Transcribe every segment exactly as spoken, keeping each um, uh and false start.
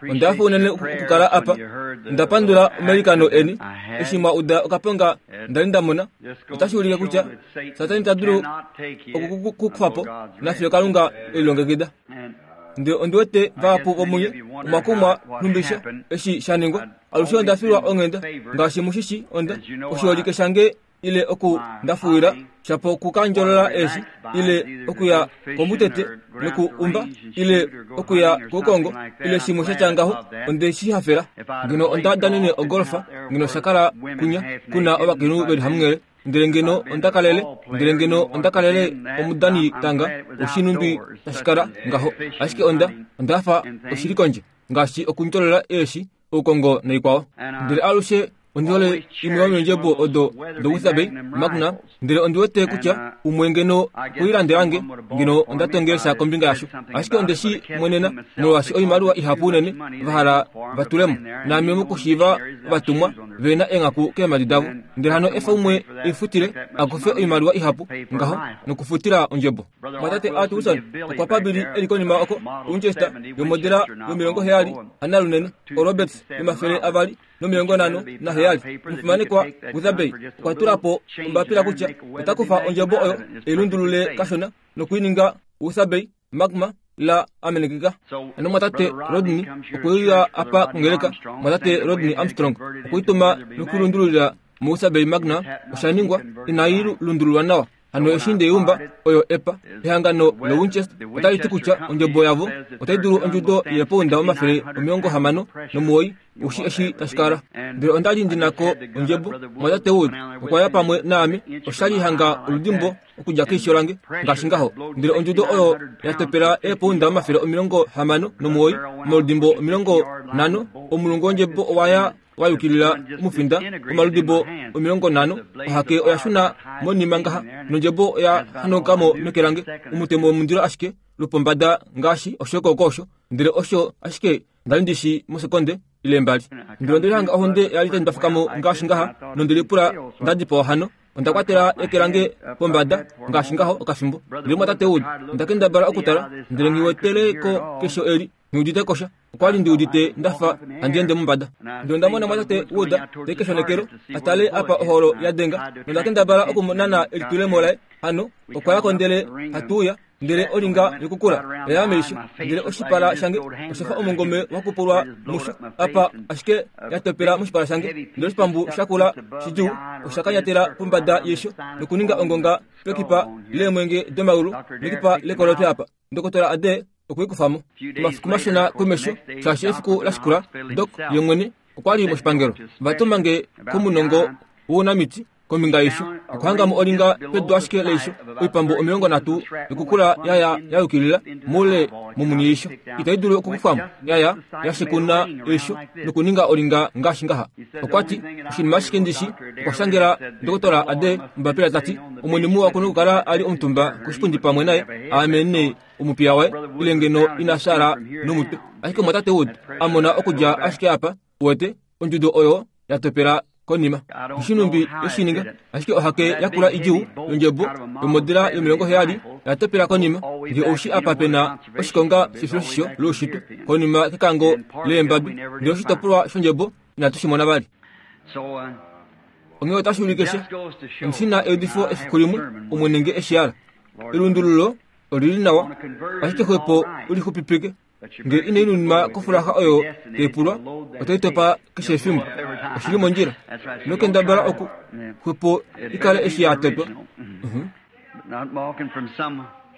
Onda hafa unene okukala apa. Onda pandula omailikano eni eshi mwa uda okaponga nda li nda mona. Otashi ulike kutya Satani ita dulu okukukufa po nafiyo Kalunga e lilongekida. Ndele ondi wete vahapu vomunye omwa kumwa nhumbisha eshi sha ningwa. Alushe onda filwa onghenda, ngaashi mushishi onda oshiholike shange ile oku ndafuwila shapo okukandjolola eeshi ile okuya komutete noku umba ile okuya koukongo ile shimwe sha tya ngaho. Onde shi hafela. Ngeno onda danene ogolfa, ngeno sha kala kunya kuna ovakainhu veli hamunghele, ndele ngeno onda kalele, ndele ngeno onda kalele omudanitanga woshinhumbi tashi kala ngaho. Ashike onda onda hafa oshili kondje, ngaashi okundjolola eeshi, oukongo noikwao. Ndele alushe ondi hole imwe yomeendjebo odo doWeatherby Magnum, ndele ondi wete kutya umwe ngeno okuilandelange ngeno onda tongelesha kombinga yasho. Ashike onde shi mwenena molwaashi oimaliwa ihapu unene va hala va tulemo, naame mokushiiva ovatumwa ve na eenghaku keemhadi davo. Ndele hano efa umwe eifutile a kufe oimaliwa ihapu ngaho nokufutila ondjebo. Mwatate Art Wilson okwa pa Billy eli konima oko Winchester yomodela yomilongo heyali hanalunene oRoberts yomafele avali nomilongo nhano naheyali. Omufimanekwa Weatherby okwa tula po ombapila kutya ota kufa ondjebo oyo ei lundulule kashona nokuininga Weatherby Magma la amenekeka. Hano mwatate Rodney okwe uya apa kongeleka. Mwatate Rodney Armstrong okweituma nokuilundululila muWeatherby Magnum. Osha ningwa inai lundululwa nawa. Hano eshi ndeumba oyo epa ehangano loWinchester otali ti kutya ondjebo yavo otai dulu ondjudo yeepounda omafele omilongo hamano nomuwoi ushi eshi tashi kala. Ndele onda li ndi nako ondjebo. Mwatate Wood okwa ya pamwe naame. Osha li hanga oludimbo okudja keisho lange ngaashi ngaho. Ndele ondjudo oyo ya topela eepounda omafele omilongo hamano nomuwoi omaludimbo omilongo nhano. Omulungu wondjebo owa ya wa yukilila omufinda omaludimbo omilongo nhano. Ohake oya shuna monima ngaha nondjebo oya hanaukamo meke lange. Omutemo womundilo ashike lwopombada ngaashi oshokooko osho. Ndele osho ashike nda li ndishi mosekonde ile mbali. Ndele onde lihanga ohonde ya li tai ndwafukamo ngaashi ngaha nonde lipula nda dipawa hano. Onda kwatela eke lange pombada ngaashi ngaho okafimbo. Ndele mwatate Wood onda kendabala okutala, ndele nghi wetele ko kesho eli nghi udite kosha. Okwa li ndi udite ndafa handi ende mombada. Ndele onda mona mwatate Wood te keshonekelo a tale apa oholo ya denga, nonda kendabala okumunana elitulemo laye. Hano okwa yako ndele hatu uya, ndele olinga yokukula oya meisho, ndele oshipala shange osha fa omungome wa kupulwa musho apa ashike ya topela moshipala shange. Ndele oshipambu shakula shidjuu osha kanyatela pombada yeisho nokuninga ongonga pekipa leemwenge domaulu nekipa lekolotwe apa. Ndokotola Ade okwe i kufamo omafiku mashona komesho, shaashi efiku la shikula Doc ye mwene okwa li moshipangelo. Va tuma nge komunongo wounamiti kombinga yeisho. Okuhangamo olinga pedu ashike leisho, oipambu omilongo nhatu yokukula yaya ya yukilila moule momuni yeisho, itai dulu okukufwamo, yaya ya shekuna eisho nokuninga olinga ngaashi ngaha. Okwa ti oshinima ashike ndishi okwa shangela Ndokotola Ade ombapila ta ti, Omwene muwa oku na okukala a li omutumba koshipundi pamwe naye, aame nee omupiya waye, ile ngeno ina fyaala nomutwe. Ashike mwatate Wood a mona okudja ashike apa, uwete, ondjudo oyo ya topela konima. Oshinhumbi yeshininga, ashike ohake yakula idjuu yondjebo yomodela yomilongo heyali oya topela konima. Nge oushi apa pe na oshikonga shefiloshisho loushitwe konima kekango leembabi, ndele oshitopolwa shondjebo inatu shi mona vali. Onghee otashi ulike she ondi na eudifo efiku limwe, Omwene nge eshi hala. Elundululo olili nawa, ashike xwepo ulixupipike. Nge inai nuninwa kofulaxa oyo tai pulwa, otai topa keshe efimbo. Oshili mondjila. Ino kendabala oku xwepo i kale eshi ya totwa.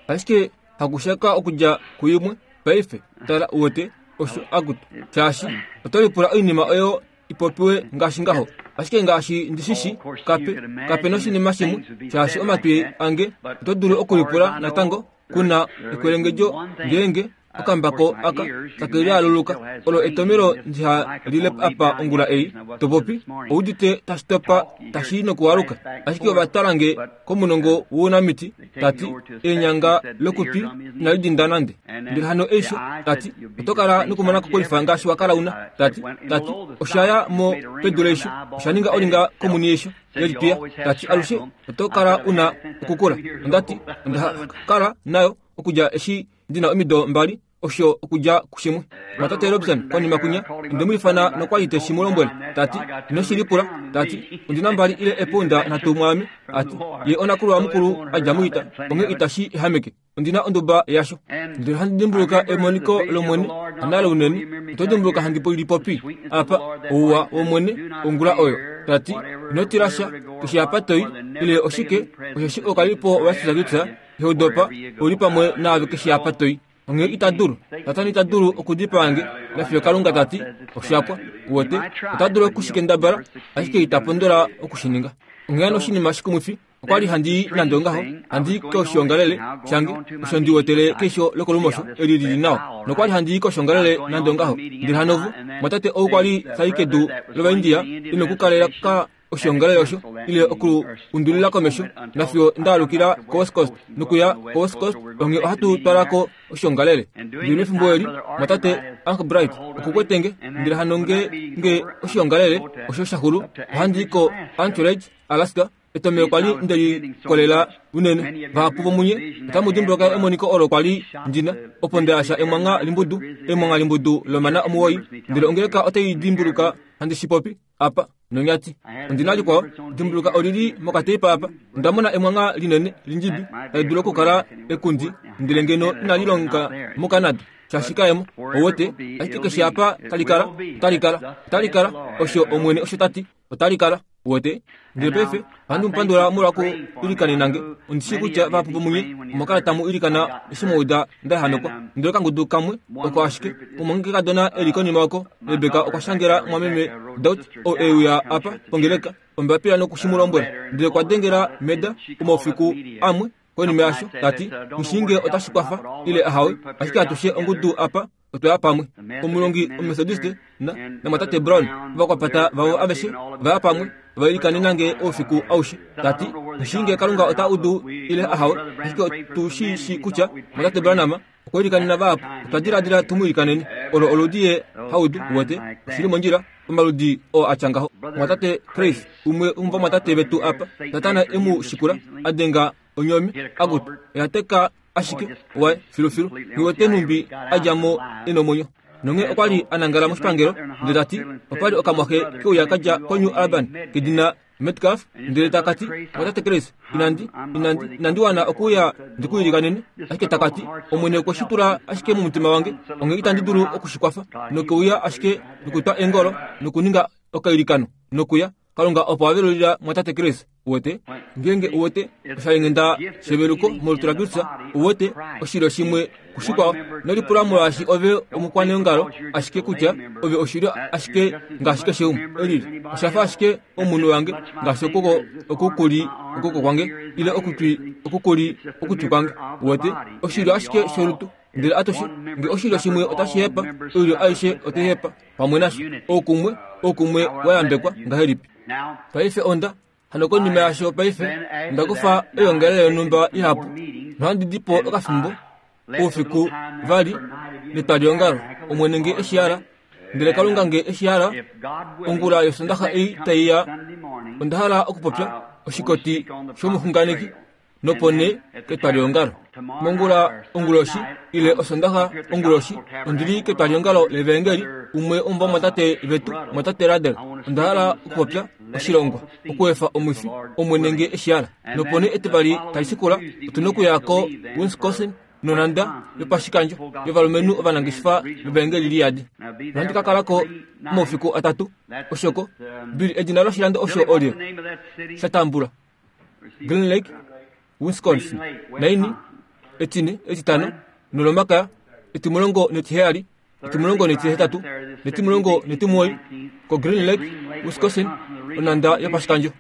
Ashike hakushaka okudja kuimwe paife, tala uwete osho akutu, shaashi oto lipula oinima oyo i popiwe ngaashi ngaho. Ashike ngaashi ndi shi shi, kape kape noshinima shimwe, shaashi omatwi ange oto dulu okulipula natango kuna ekwelengedjo ngeenge okambako aka take lialuluka. Olo etomelo ndiha lile apa ongula ei topopi oudite tashi topa tashi nokualuka. Ashike ova twala nge komunongo wounamiti, tati eenyanga lokutwi inali dinda nande. Ndele hano eisho, tati oto kala nokumona kokolifa ngaashi wa kala una. Tati tati osha ya mo pedu leisho, osha ninga olinga komuni yeisho yelitwiya. Tati alushe oto kala una okukula. Ondati onda kala nayo okudja eshi ndina omido mbali osho okudja kushimwe. Mwatate Robson konima kunya onde mu ifana nokwali te shi mu lombwele tati ino shi lipula tati ondina mbali ile eponda nhatu mwaame ati ye onakulwa mukulu adja muita onge itashi ehameke ondina onduba yasho. Ndele handi dimbuluka emoniko lomwene analo unene oto dimbuluka handi lipopi apa ouwa womwene ongula oyo tati ino tilasha keshe apa toi ile oshike osheshi okalipo wasisakitsa heudopa oli pamwe naave keshe apa toi. Onge ita dulu Satani ita dulu okudipaange nafiyo Kalunga tati oshapwa uwete ota dulu okushikendabala ashike ita pondola okushininga. Onge hano oshinima shikumwifi okwali handi nande ongaho handi koshiongalele shange osho ndi wetele keisho lokolumosho eli lili nawa nokwali handi koshiongalele nande ongaho ndele hanovu mwatate ou kwali tai kedu lovaindia inokukalela ka oshiongalele osho ile oku undulila komesho nafiyo ndaalukila ko West Coast nokuya ko West Coast onge ohatu twalako oshiongalele. Ndele mefimbo eli mwatate Uncle Bright okukwetenge ndele hano nge nge oshiongalele osho shaxulu ohandi ko Anchorage Alaska etomelo kwali ndeli kolela unene vahapu vomunye otamu dimbuluka emoniko olo kwali ndina opo ndeasha emwanga limbudu emwanga limbudu lomana omuwoi ndele ongeleka otai dimbuluka handi shipopi apa nonyati. Ondina likwao dimbuluka olili mokateipa apa ondamona emwanga linene lindjibi tali dulu okukala ekundi ndele ngeno inali longa moCanada shashikaemo owete ashike keshe apa talikala otalikala otalikala osho omwene osho tati otalikala uwete. Ndele paife ohandi mupandula molwa ku ilikanenange ondishi kutya vahapu vomunye omwakala tamu ilikana eshi mwauda ndaehamekwa ndele okangudu kamwe oko ashike omumwangekadona eli konima oko Rebeka okwa shangela mwameme Dot ou euya apa pongeleka ombapila nokushi mu lombwela ndele okwa dengela Meda omaufiku amwe konima yasho tati mushinge otashi kwafa ile ahawe ashike atushe ongudu apa otwaya pamwe. Omulongi omethodiste na namwatate Brown vakwapata vavo aveshe vaya pamwe vailikanenange oufiku aushe tati mushinge Kalunga ota udu ile ahawe ashike otu shi shi kutya mwatate Branham okwilikanena vahapu otwa diladila tumuilikaneni olo oludi ye haudu uwete oshili mondjila omaludi oo atya ngaho. Mwatate Chris umwe womumwatate vetu apa Satana emu shikula adenga onyomi akutu oyateka ashike waye filufilu niwete numbi adjamo enomwenyo. Nonge okwali anangala moshipangelo ndele tati opali okamwaxe keuya kadja ko New Albany kedina Metcalf ndele takati mwatate Chris inandi inandi inandi wana okuya ndikuilikanene ashike takati omwene okwe shi tula ashike momutima wange onge itandi dulu okushikwafa nokeuya ashike nokutwa engolo nokuninga okailikano nokuya Kalunga opo avelulila mwatate Chris uwete ngenge uwete oshalengenda sheveluko molutu laKristus uwete oshilyo shimwe kushikwao nolipula molwaashi ove omukwaneongalo ashike kutya ove oshilyo ashike ngaashi keshe umwe elili oshafa ashike omunhu wange ngaashi okoko okukuli okoko kwange ile okutwi okukuli okutwi kwange uwete oshilyo ashike sholutu ndele atushe nge oshilyo shimwe otashi hepa oilyo aishe otai hepa pamwe nasho oukumwe oukumwe wayambekwa ngahelipi. Paife onda hano konima yasho paife ndakufa oiongelele yonhumba ihapu nohandi dipo okafimbo oufiku vali netwaliongalo omwene nge eshihala ndele Kalunga nge eshihala ongula yosondaxa ei taiya onda hala okupopya oshikoti shomuxunganeki nopo nee ketwaliongalo mongula onguloshi ile osondaxa onguloshi ondili ketwaliongalo levangeli umwe womumwatate vetu mwatate Radel onda hala okupopya oshilongwa okuefa omwifi omwene nge eshihala nopo nee etivali tali shikula otuna okuya ko Wisconsin nonanda yopashikandjo yovalumenhu ovanangeshefa vevangeli liyadi. Nohandi ka kalako omaufiku atatu oshoko Bill edina loshilando osho olye shatambula Green Lake Wisconsin naini etine etitano nolomakaya etimulongo netiheyali etimulongo netihetatu netimulongo netimuwoi ko Green Lake Wisconsin onanda yopashikandjo.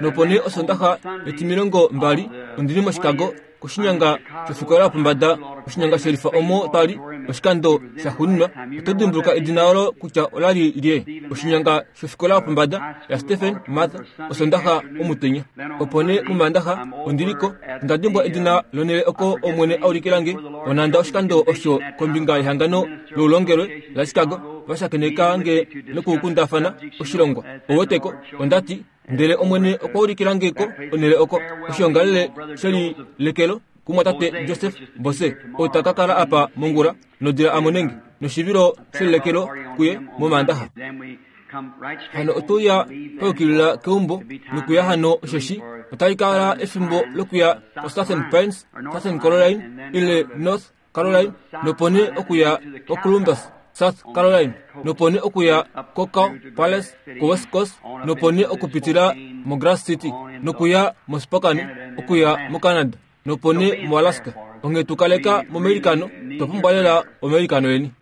Nopo nee osondaxa etimilongo mbali ondili moChicago koshinyanga shofikola yopombada oshinyanga shelifa omo twali oshikando shaxuuninwa. Oto dimbuluka edina olo kutya olali lye oshinyanga shofikola yopombada ya Stephen Martha osondaxa omutenya. Opo nee momandaxa ondiliko onda dimbwa edina lonele oko omwene aulikilange onanda oshikando osho kombinga yehangano loulongelwe la Chicago vashakeneka nge nokukundafana oshilongwa oweteko ondati ndele omwene okwa ulikilangeko onele oko oshiongalele shelilekelo kumwatate Joseph Bose oo ta ka kala apa mongula nodila amonenge noshivilo shelekelo kuye momandaha. Hano otuya paukilila keumbo nokuya hano osheshi otali kala efimbo lokuya ko Southern Pines, Southern Caroline ile North Caroline, nopone okuya ko Columbus, South Caroline, nopone okuya ko Cow Palace ko West Coast, nopone okupitila mo Grass City, nokuya mo Spokane, okuya mo Canada, nopone mo Alaska. Onge tukaleka momelikano, twapumbwa lela omelikano yeni.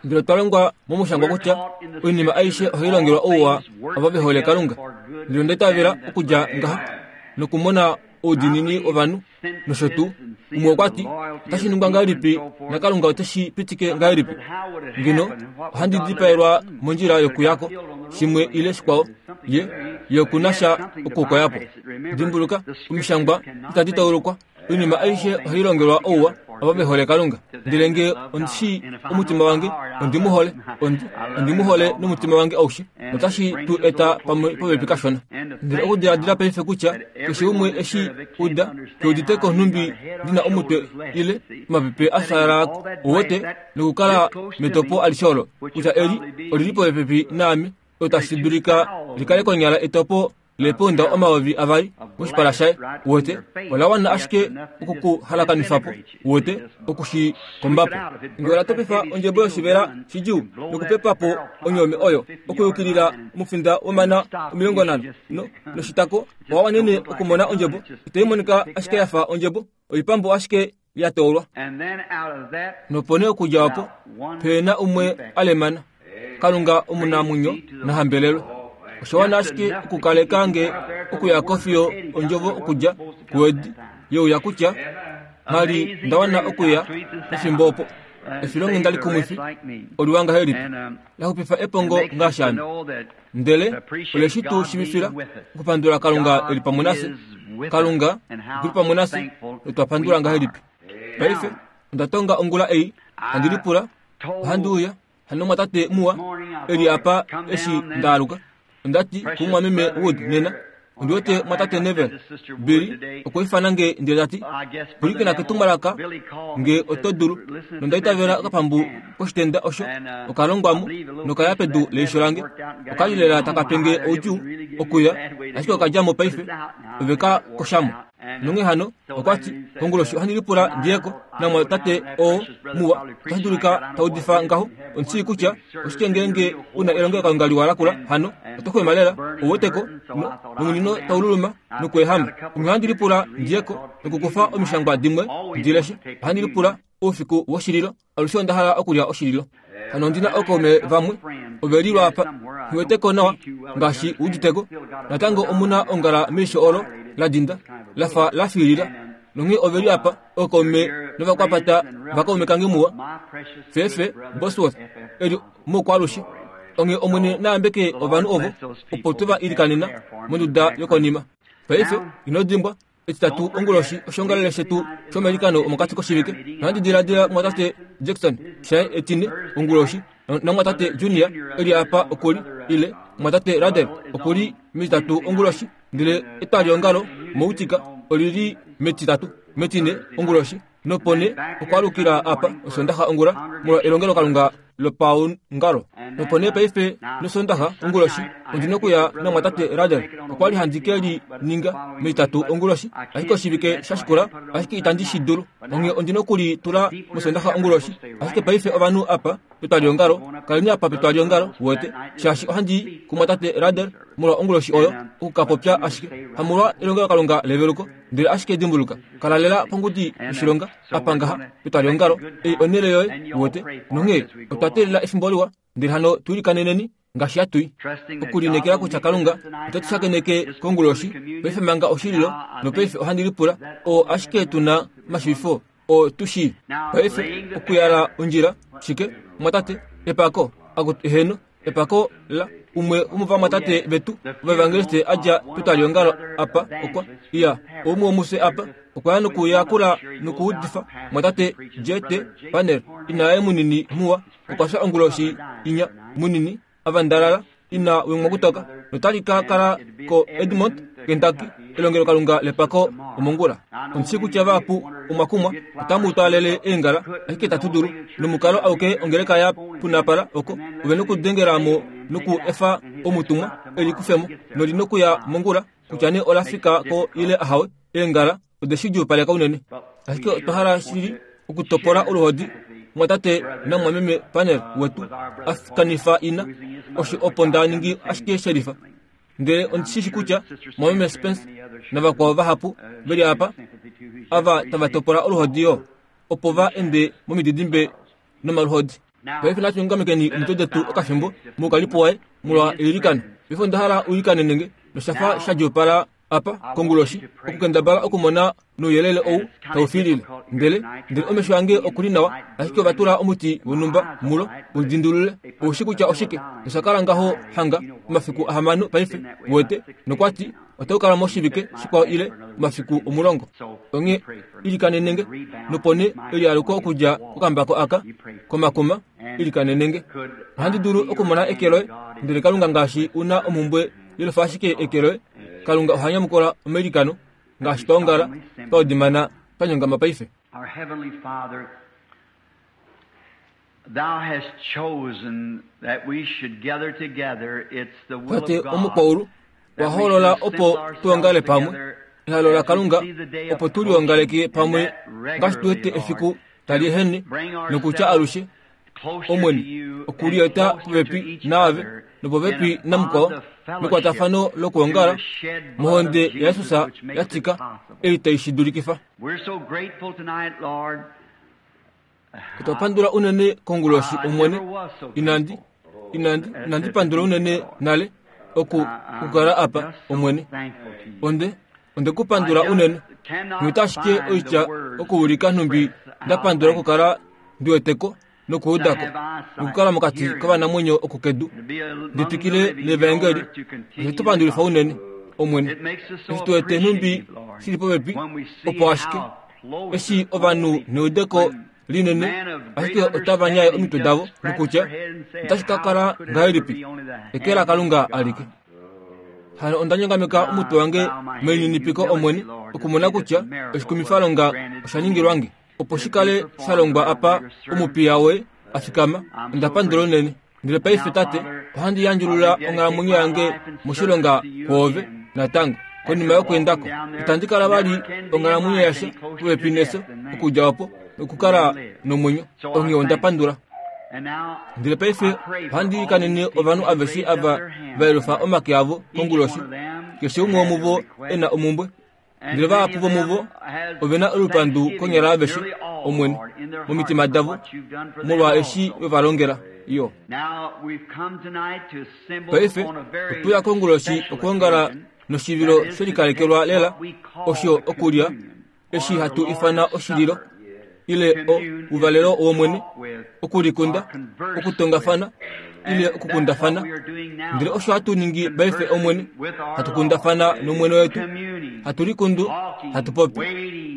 Ndele otwa longwa momushangwa kutya oinima aishe ohai longelwa ouwa ovo ve hole Kalunga. Ndele onda itavela okudja ngaha nokumona oudiinini wovanhu nosho tuu. Umwe okwa ti, otashi ningwa ngahelipi naKalunga oteshi pitike ngahelipi? Ngeno ohandi dipaelwa mondjila yokuyako shimwe ile shikwao, ye ye okuna sha okukoyapo. Dimbuluka, omishangwa itadi taulukwa. Oinima aishe ohai longelwa ouwa ovo ve hole Kalunga. Ndele nge ondishi omutima wange, ondi mu hole, ondi, ondi mu hole nomutima wange aushe, notashi tu eta pamwe popepi kashona. Ndele okudiladila paife kutya keshe umwe eshi uda keuditeko nhumbi ndina omutwe ile omapepe a fyalala uwete nokukala metopo alishe olo kutya eli olili popepi naame, otashi dulika likale konyala etopo lepounda omayovi avali moshipala shaye. Uwete ola wana ashike okukuhalakanifapo, uwete okushikombapo. Nge ola topifa ondjebo yoshivela shidjuu nokupepapo onyome oyo okuyukilila omufinda womana omilongo nhano no noshitako, owa wanene okumona ondjebo. Itai monika ashike yafa ondjebo, oipambu ashike ya toolwa. Nopone okudja opo pena umwe alemana. Kalunga omunamwenyo nahambelelwe. Osho wana ashike okukaleka nge okuya kofiyo ondjovo okudja kuwedi yeuya kutya nali ndawana okuya pefimbo opo. Efilonghenda likumwifi oliwa ngahelipi, laxupifa epongo ngaashi ame. Ndele oleshi tu shivifila okupandula Kalunga eli pamwe nafye. Kalunga okuli pamwe nafye, notwa pandula ngahelipi. Paife onda tonga ongula ei, handi lipula, ohandi uya hano mwatate muwa eli apa eshi ndaaluka. Ondati kumwameme Wood nena, ondi wete mwatate Neville Billy okwa ifana nge ndele tati, pwilikina ketumwalaka nge oto dulu, nonda itavela okapambu koshitenda osho okalongwamo nokaya pedu leisho lange. Okali lela taka penge oudjuu okuya, ashike okadjamo paife, ove ka koshamo. Nonghee hano okwati konguloshi ohandi lipula ndiyeko namwatate oo muwa, otashi dulika taudifa ngaho. Ondishii kutya oshike ngeenge una elongelokalunga liwa lakula hano oto xwema lela, ouweteko nomunino taululuma nokuehama. Onghee ohandi lipula ndiyeko nokukufa omishangwa dimwe ndileshe. Ohandi lipula oufiku woshililo, alushe onda hala okulya oshililo. Hano ondina ookaume vamwe ove lilwa apa, nghiweteko nawa ngaashi uditeko. Natango omuna ongala meisho olo la dinda lafa la fiilila. Nonghee ove li apa ookaume novakwapata vakaume kange muwa Fefe Bosworth eli moukwalushe. Onghee Omwene naambeke ovanhu ovo opo tuva ilikanena monduda yokonima. Paife ino dimbwa etitatu onguloshi oshongalele shetu shomelikano omokati koshivike. Nohandi diladila mwatate Jackson shaye etine onguloshi, namwatate Junior eli apa okuli, ile mwatate Radel okuli metitatu onguloshi, ndele etwaliongalo moutika olili metitatu metine onguloshi, nopone okwalukila apa osondaxa ongula molwa elongelokalunga lopaungalo. Nopone paife nosondaxa onguloshi ondina okuya namwatate Radel. Okwali handi ke li ninga metitatu onguloshi, ashike oshivike sha shikula, ashike itandi shi dulu. Onghee ondina okuli tula mosondaxa onguloshi. Ashike paife ovanhu apa petwaliongalo, kaleni apa petwaliongalo, uwete, shaashi ohandi kumwatate Radel molwa onguloshi oyo okukapopya ashike hamolwa elongelokalunga leveluko, ndele ashike dimbuluka, kala lela pongudi yoshilonga apa ngaha petwaliongalo, ei onhele yoye, uwete. Nonghee otwa teelela efimbo liwa, ndele hano tuilikaneneni ngaashi hatui okulinekela kutya Kalunga ote tu shakeneke konguloshi paife manga oshililo. Nopaife ohandi lipula oo ashike tuna omashivifo oo tu shii paife okuyala ondjila shike mwatate epako akutu eheno epako la umwe womovamwatate vetu ovaevangeliste adja petwaliongalo apa okwa iya oumwe womufye apa okwa ya nokuyakula nokuudifa mwatate J T Panel inaye munini muwa okwa fya onguloshi inya munini avandalala ina wemwa kutoka notali ka kala ko Edmont Kentucky, elongelokalunga lepako omongula. Ondi kutya vahapu omwakumwa otamu twaalele eengala, ashike itatu dulu nomukalo auke ongeleka ya punapala oko ove nokudengelamo noku efa omutumwa elikufemo noli nokuya mongula kutya nee ola fika ko ile ahawe. Eengala ode shi djuupaleka unene, ashike otwa hala shili okutopola oluhodi mwatate namwameme Panel wetu afkanifa ina osho opo nda ningi ashike shelifa. Ndele ondi shi kutya mwameme Spence navakwao vahapu veli apa ava tava topola oluhodi yo opo va ende momididimbe nomaluhodi. Paife natu nyongamekeni omitwe detu okafimbo moukalipo waye molwa eilikano. Paife onda hala uilikane nenge noshafa sha djuupala apa konguloshi okukendabala okumona nouyelele ou taufilile. Ndele ndele omesho ange okuli nawa, ashike ova tula omuti wonhumba mulo udindulule oushi kutya oshike. Noshakala ngaho hanga omafiku ahamano paife wete nokwati otaukala moshivike shikwao ile omafiku omulongo. Onge ilikanenenge nopone elialuko okudja kokambako aka komakuma ilikanenenge. Ohandi dulu okumona eke loye, ndele Kalunga ngaashi una omumbwe yelofa ashike eke loye. Kalunga oha nyamukula omailikano ngaashi twaongala twaudimana twanyongama paife. Our heavenly Father, Thou hast chosen that we should gather together. It's the will Tate of God omukwaulu waholola opo tuongale pamwe ehalo la Kalunga opo tuliongaleke pamwe ngaashi tuwete efiku tali ehene nokutya alushe Omwene okulieta popepi naave nopopepi namukwao mekwatafano lokuongala mohonde yaJesus yatika ei tai shi dulikifa. We're so grateful tonight, Lord. Otwa pandula unene konguloshi Omwene. Inandi inandi inandi pandula unene nale oku kukala apa Omwene. Onde onde kupandula unene ngita ashike oitya okuulika nhumbi ndapandula okukala ndiweteko nokuudako nokukala mokati kovanamwenyo okukedu nditwikile nevaengeli. Oshetupandulifa unene Omwene eshi tuwete nhumbi shili popepi opo ashike eshi ovanhu neudeko linene ashike otava nyaye omitwe davo nokutya otashi ka kala ngahelipi eke la Kalunga alike. Hano onda nyongameka omutwe wange melininipiko Omwene okumona kutya oshikumifalonga osha ningilwange opo shikale shalongwa apa omupiya we afikama. Onda pandula unene. Ndele paife Tate ohandi yandjulula onghalamwenyo yange moshilonga kwoove natango konima yokuendako itandi kala vali onghalamwenyo yasha popepi neso okudja opo nokukala nomwenyo. Onghee onda pandula. Ndele paife ohandi ilikanene ovanhu aveshe ava va yelufa omake avo konguloshi, keshe umwe womuvo e na omumbwe. Ndele vahapu vomuvo ove na olupandu konyala aveshe Omwene momitima davo molwa eshi ve va longela yo. Paife otweya konguloshi okuongala noshivilo shelikalekelwa lela osho okulya eshi hatu ifana oshililo ile o uvalelo wOmwene, okulikunda, okutongafana ile okukundafana. Ndele osho hatu ningi paife Omwene, hatukundafana nomwene wetu, hatulikundu, hatupopi,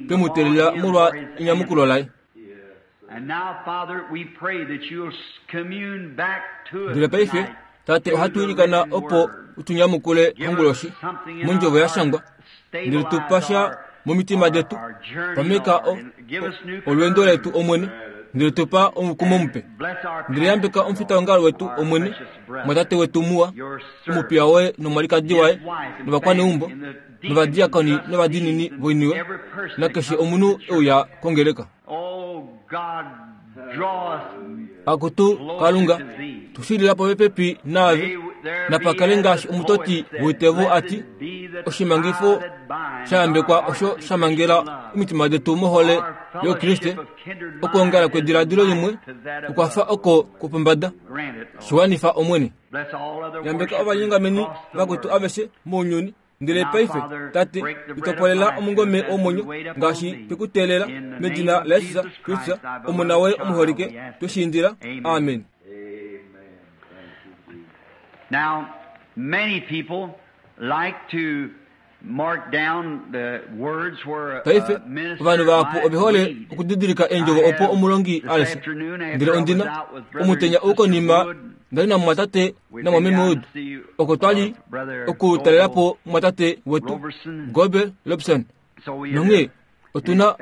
twemuteelela molwa enyamukulo laye. Ndele paife Tate ohatu ilikana opo utunyamukule konguloshi mondjovo ya shangwa, ndele tupasha momitima detu pameka olwendo letu Omwene, ndele tupa omukumo mupe. Ndele yambeka omufitaongalo wetu Omwene, mwatate wetu muwa, omupiya woye nomwalikadi waye novakwaneumbo novadiakoni novadinini voiniwe nakeshe omunhu euya kongeleka. Akutu Kalunga, tushilila popepi naave napakale ngaashi omutoti woitevo ati oshimangifo shayambekwa osho shamangela omitima detu mohole yoKriste. Okuongala kwediladilo limwe okwafa oko kwopombada. Shiwanifa Omwene. Yambeka ovanyongameni vakwetu aveshe mounyuni. Ndele paife Tate itopolela omungome womwenyo ngaashi twekuteelela medina laJesus Kristus Omona woye omuholike tweshiindila. Amen. Now, many people like to mark down the words where Paife ovanhu vahapu ove hole okudidilika eendjovo opo omulongi aleshe. Ndele ondina omutenya ou konima Ndali namumwatate namwameme Wood oko twali okutalela po mumwatate wetu Gobe Lobson. Nonghee otuna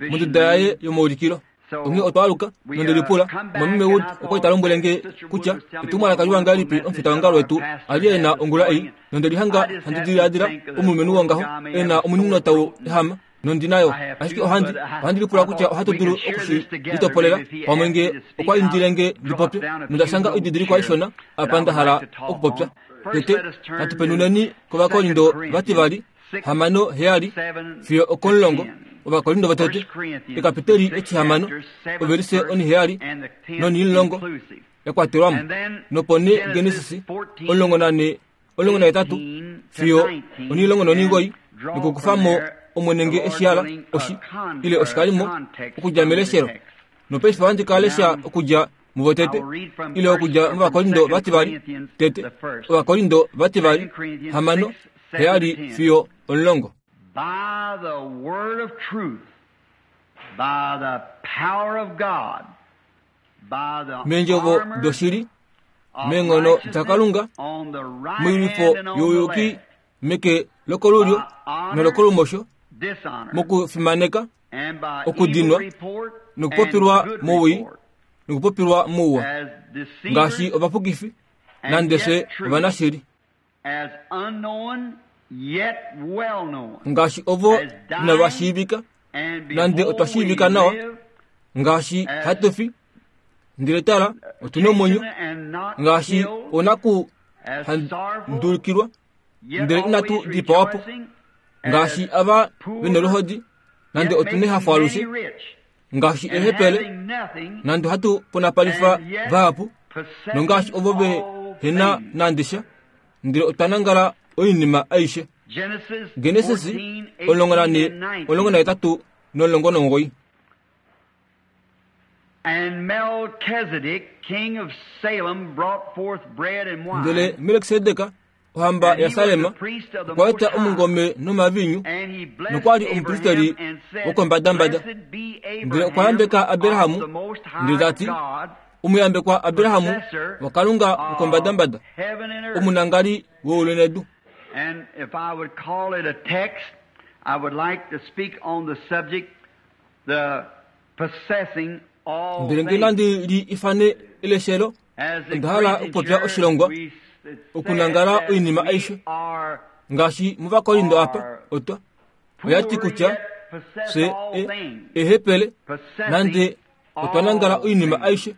monduda yaye yomaulikilo. Onghee otwaaluka nondelipula mwameme Wood okwa ta lombwele nge kutya etumwalaka liwa ngahelipi omufitaongalo wetu ali ena ongula ei, nondelihanga handi diladila omulumenhu wongaho ena omunino tau ehama nondinayo, ashike ohandi ohandi lipula kutya ohatu dulu okushi litopolela pamwe nge okwa indile nge ndipopye, nondashanga oididilikwa ishona apa nda hala okupopya. Tete natu penuneni kOvakorindo vativali hamano heyali fiyo okomulongo. Ovakorindo vatete ekapiteli etihamano ovelise oniheyali nonimulongo yakwatelwamo, nopo nee Genesis omulongo nane omulongo nahetatu fiyo onimulongo nonimugoi, nokukufamo omwene nge eshihala oshi ile oshikalimo okudja meleshelo. Nopaife ohandi ka lesha okudja muvotete ile okudja mOvakorindo vativali tete Ovakorindo vativali hamano heyali fiyo omulongo. By the word of truth, by the power of God, by the Meendjovo doshili, meenghono daKalunga, moilwifo youyuki meke lokolulyo nolokolumosho, mokufimaneka, okudinwa, nokupopilwa mowii, nokupopilwa mouwa, ngaashi ovapukifi nande fye ovanashili, ngaashi ovo inava shiivika nande otwa shiivika nawa, ngaashi hatu fi ndele tala otuna omwenyo, ngaashi onaku handulukilwa ndele inatu dipawapo, ngaashi ava vena oluhodi nande otuna ehafo alushe, ngaashi ehepele nande hatu ponapalifa vahapu, nongaashi ovo ve hena nande sha ndele otwa nangala oinima aishe. Genesis omulongo nane omulongo nahetatu nomulongo nomugoyi. Ndele Melkisedek ohamba yaSalem okwa eta omungome nomavinyu, nokwali omupristeli wokombadambada. Ndele okwa yambeka Abrahamu ndele tati, omuyambekwa Abrahamu waKalunga wokombadambada, omunangali weulu nedu. And if I would call it a text, I would like to speak on the subject, the possessing all Ndele nge things. nandi li ifane eleshelo, As the onda hala okupopya oshilongwa, okunangala oinima aishe, ngaashi mOvakorindo apa otwa oyati kutya fye ehepele nande otwa nangala oinima aishe,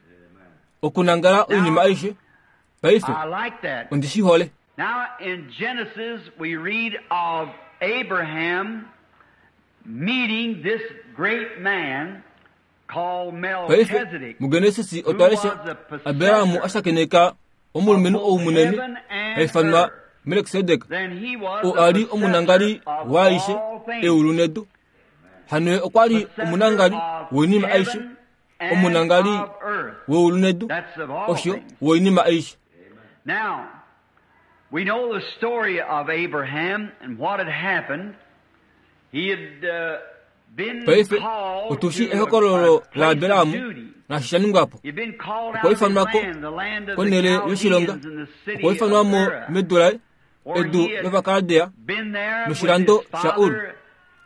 okunangala oinima aishe. Paife ondi shi hole. Now in Genesis we read of Abraham meeting this great man called Paife Melchizedek, muGenesis otwa lesha Abrahamu ashakeneka omulumenhu ou munene haifanwa Melkisedek, Then he was oo the ali omunangali possessor of waaishe all things. eulu nedu. Hano ye okwa li omunangali woinima aishe, and omunangali of earth. weulu nedu, That's of all osho things. woinima aishe. Now, we know the story of Abraham and what had happened. He had uh, been Paife called otushi to a, ehokololo a place la of Abrahamu duty. nashi sha ningwapo. He'd been called Okwa out of his ifanwako land, the land of the konhele yoshilonga, Chaldeans and the city okwa of ifanwamo Ur, medu laye, where edu he had lOvakaldea, been there with noshilando his sha Ur, father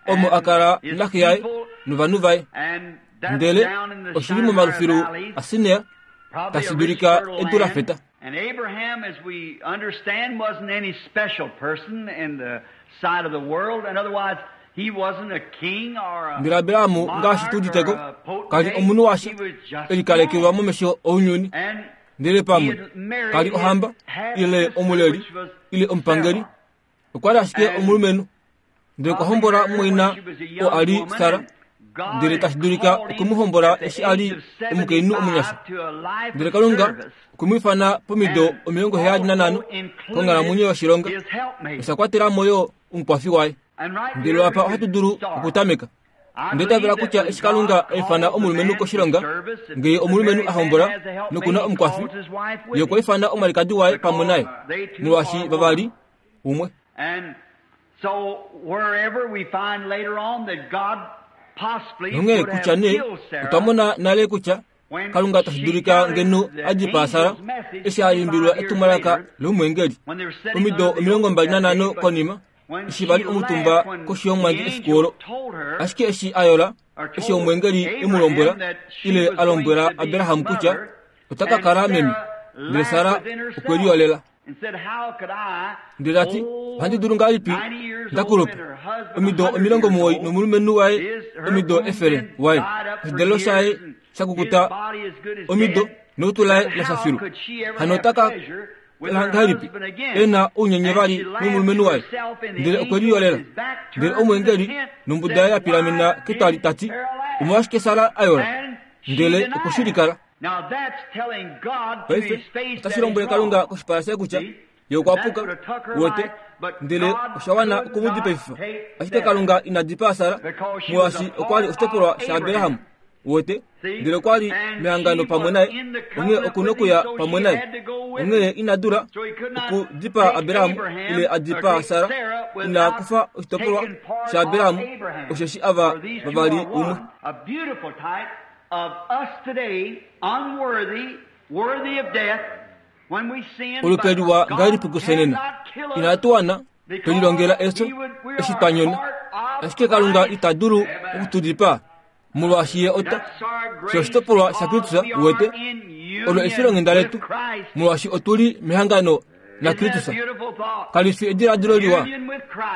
omo and akala his naxe yaye people, novanhu vaye. and that's Ndele down in the oshili Shinar momalufilu Valleys, aSinea, probably a tashi rich dulika fertile edu la land. feta. And Abraham, as we understand, wasn't any special person in the sight of the world. And otherwise, he wasn't a king or a Ndele Abrahamu ngaashi monarch tu or uditeko, a kali potentate. omunhu washa He was just e likalekelwa a man. momesho ounyuni. And Ndele he pamwe had married kali his ohamba half ile sister, omuleli which was ile omupangeli, Sarah. okwa li ashike And omulumenhu. Ndele okwa probably hombola married when mumwaina she was a oo young ali woman, Sara, and God ndele had tashi dulika called him okwe mu hombola at the eshi ali age of omukainhu omunyasha. seventy-five to a life Ndele of Kalunga service. okwe mu ifana pomido And omilongo heyali nanhano also included konghalamwenyo yoshilonga, his helpmate. osha kwatela mo yo omukwafi waye. And right Ndele here apa we ohatu could dulu start. okutameka. I Ndetavela believe that kutya when eshi Kalunga God a ifana calls a omulumenhu man to koshilonga, service, if ngee the omulumenhu married a man hombola has a helpmate, nokuna he omukwafi, calls his wife with ye okwa him. ifana omwalikadi waye pamwe naye, Because they two molwaashi are vavali one. umwe. And so wherever we find later on that God possibly Nonghee would have kutya nee killed otwa Sarah mona nale kutya Kalunga tashi dulika ngeno a dipaa Sara eshi a imbilwa etumwalaka lomweengeli omido omilongo mbali nanhano konima eshi vali omutumba koshi yomwandi efiku olo. Ashike eshi a yola eshi omweengeli e mu lombwela ile a lombwela Abraham kutya ota ka kala meme, ndele Sara okwe liyolela. Ndele ta ti, ohandi dulu ngahelipi ndakulupa omido omilongo muwoi nomulumenhu waye omido efele waye, oshidalelo shaye shakukuta omido nolutu laye la filu. Hano ota ka ngahelipi e na ounyenye vali nomulumenhu waye? Ndele okwe liyolela. Ndele omweengeli nombuda yaye ya pilamena ketwali ta ti, omolwashike Sara a yola? Ndele okwe shi likala. Paife otashi lombwele Kalunga koshipala shaye kutya ye okwa puka, wete, ndele osha wana okumudipaififa. Ashike Kalunga ina dipaa Sara molwaashi okwa li oshitopolwa shaAbraham, wete, ndele okwa li mehangano pamwe naye, onghee oku nokuya pamwe naye. Onghee ina dula okudipaa Abraham ile a dipaa Sara, ina kufa oshitopolwa shaAbraham, osheshi ava vavali umwe. Olupe liwa ngahelipi kusenena, inatu wana twelilongela efyo eshi twa nyona, ashike Kalunga ita dulu okutudipaa molwaashi ye ota fye oshitopolwa shaKristus, wete, olo efilonghenda letu molwaashi otuli mehangano naKristus. Kali fi ediladilo liwa,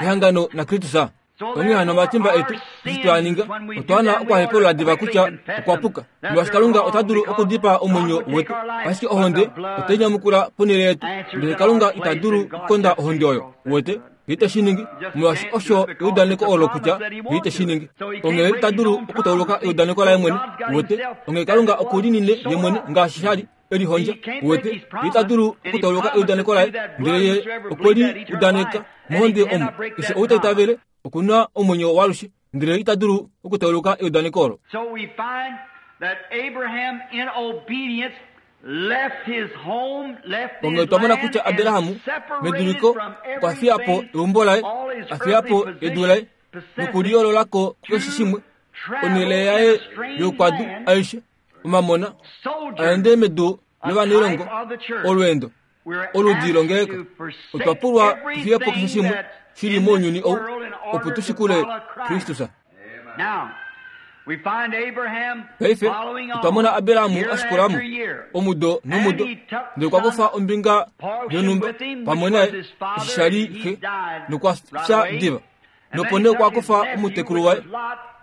ehangano naKristus. Onghee hano omatimba etu eshi twa ninga otwa wana okuhepulula diva kutya okwa puka, molwaashi Kalunga ota dulu okudipaa omwenyo wetu, ashike ohonde otai nyamukula ponhele yetu, ndele Kalunga ita dulu okukonda ohonde oyo, wete, ye ite shi ningi, molwaashi osho eudaneko olo kutya ye ite shi ningi. Onghee ita dulu okutauluka eudaneko laye mwene, wete, onghee Kalunga okulinine ye mwene ngaashi sha li elihondja, wete, ye ita dulu okutauluka eudaneko laye, ndele ye okwe li udaneka mohonde omo keshe ou ta itavele okuna omwenyo waalushe, ndele ita dulu okutauluka eudaneko olo. Onghee otwa mona kutya Abraham meduliko okwa fiya po eumbo laye, a fiya po edu laye nokuliyoololako kukeshe shimwe, onhele yaye youkwadu aishe, omamona, a ende medu lovanailongo, olweendo oludi longeleka. Otwa pulwa tufiye po keshe shimwe shili mounyuni ou opo tu shikule Kristus. Paife otwa mona Abraham a shikulamo omudo nomudo, ndele okwa kufa ombinga yonhumba pamwe naye eshi sha li xe, nokwa fya diva. Nopo nee okwa kufa omutekulu waye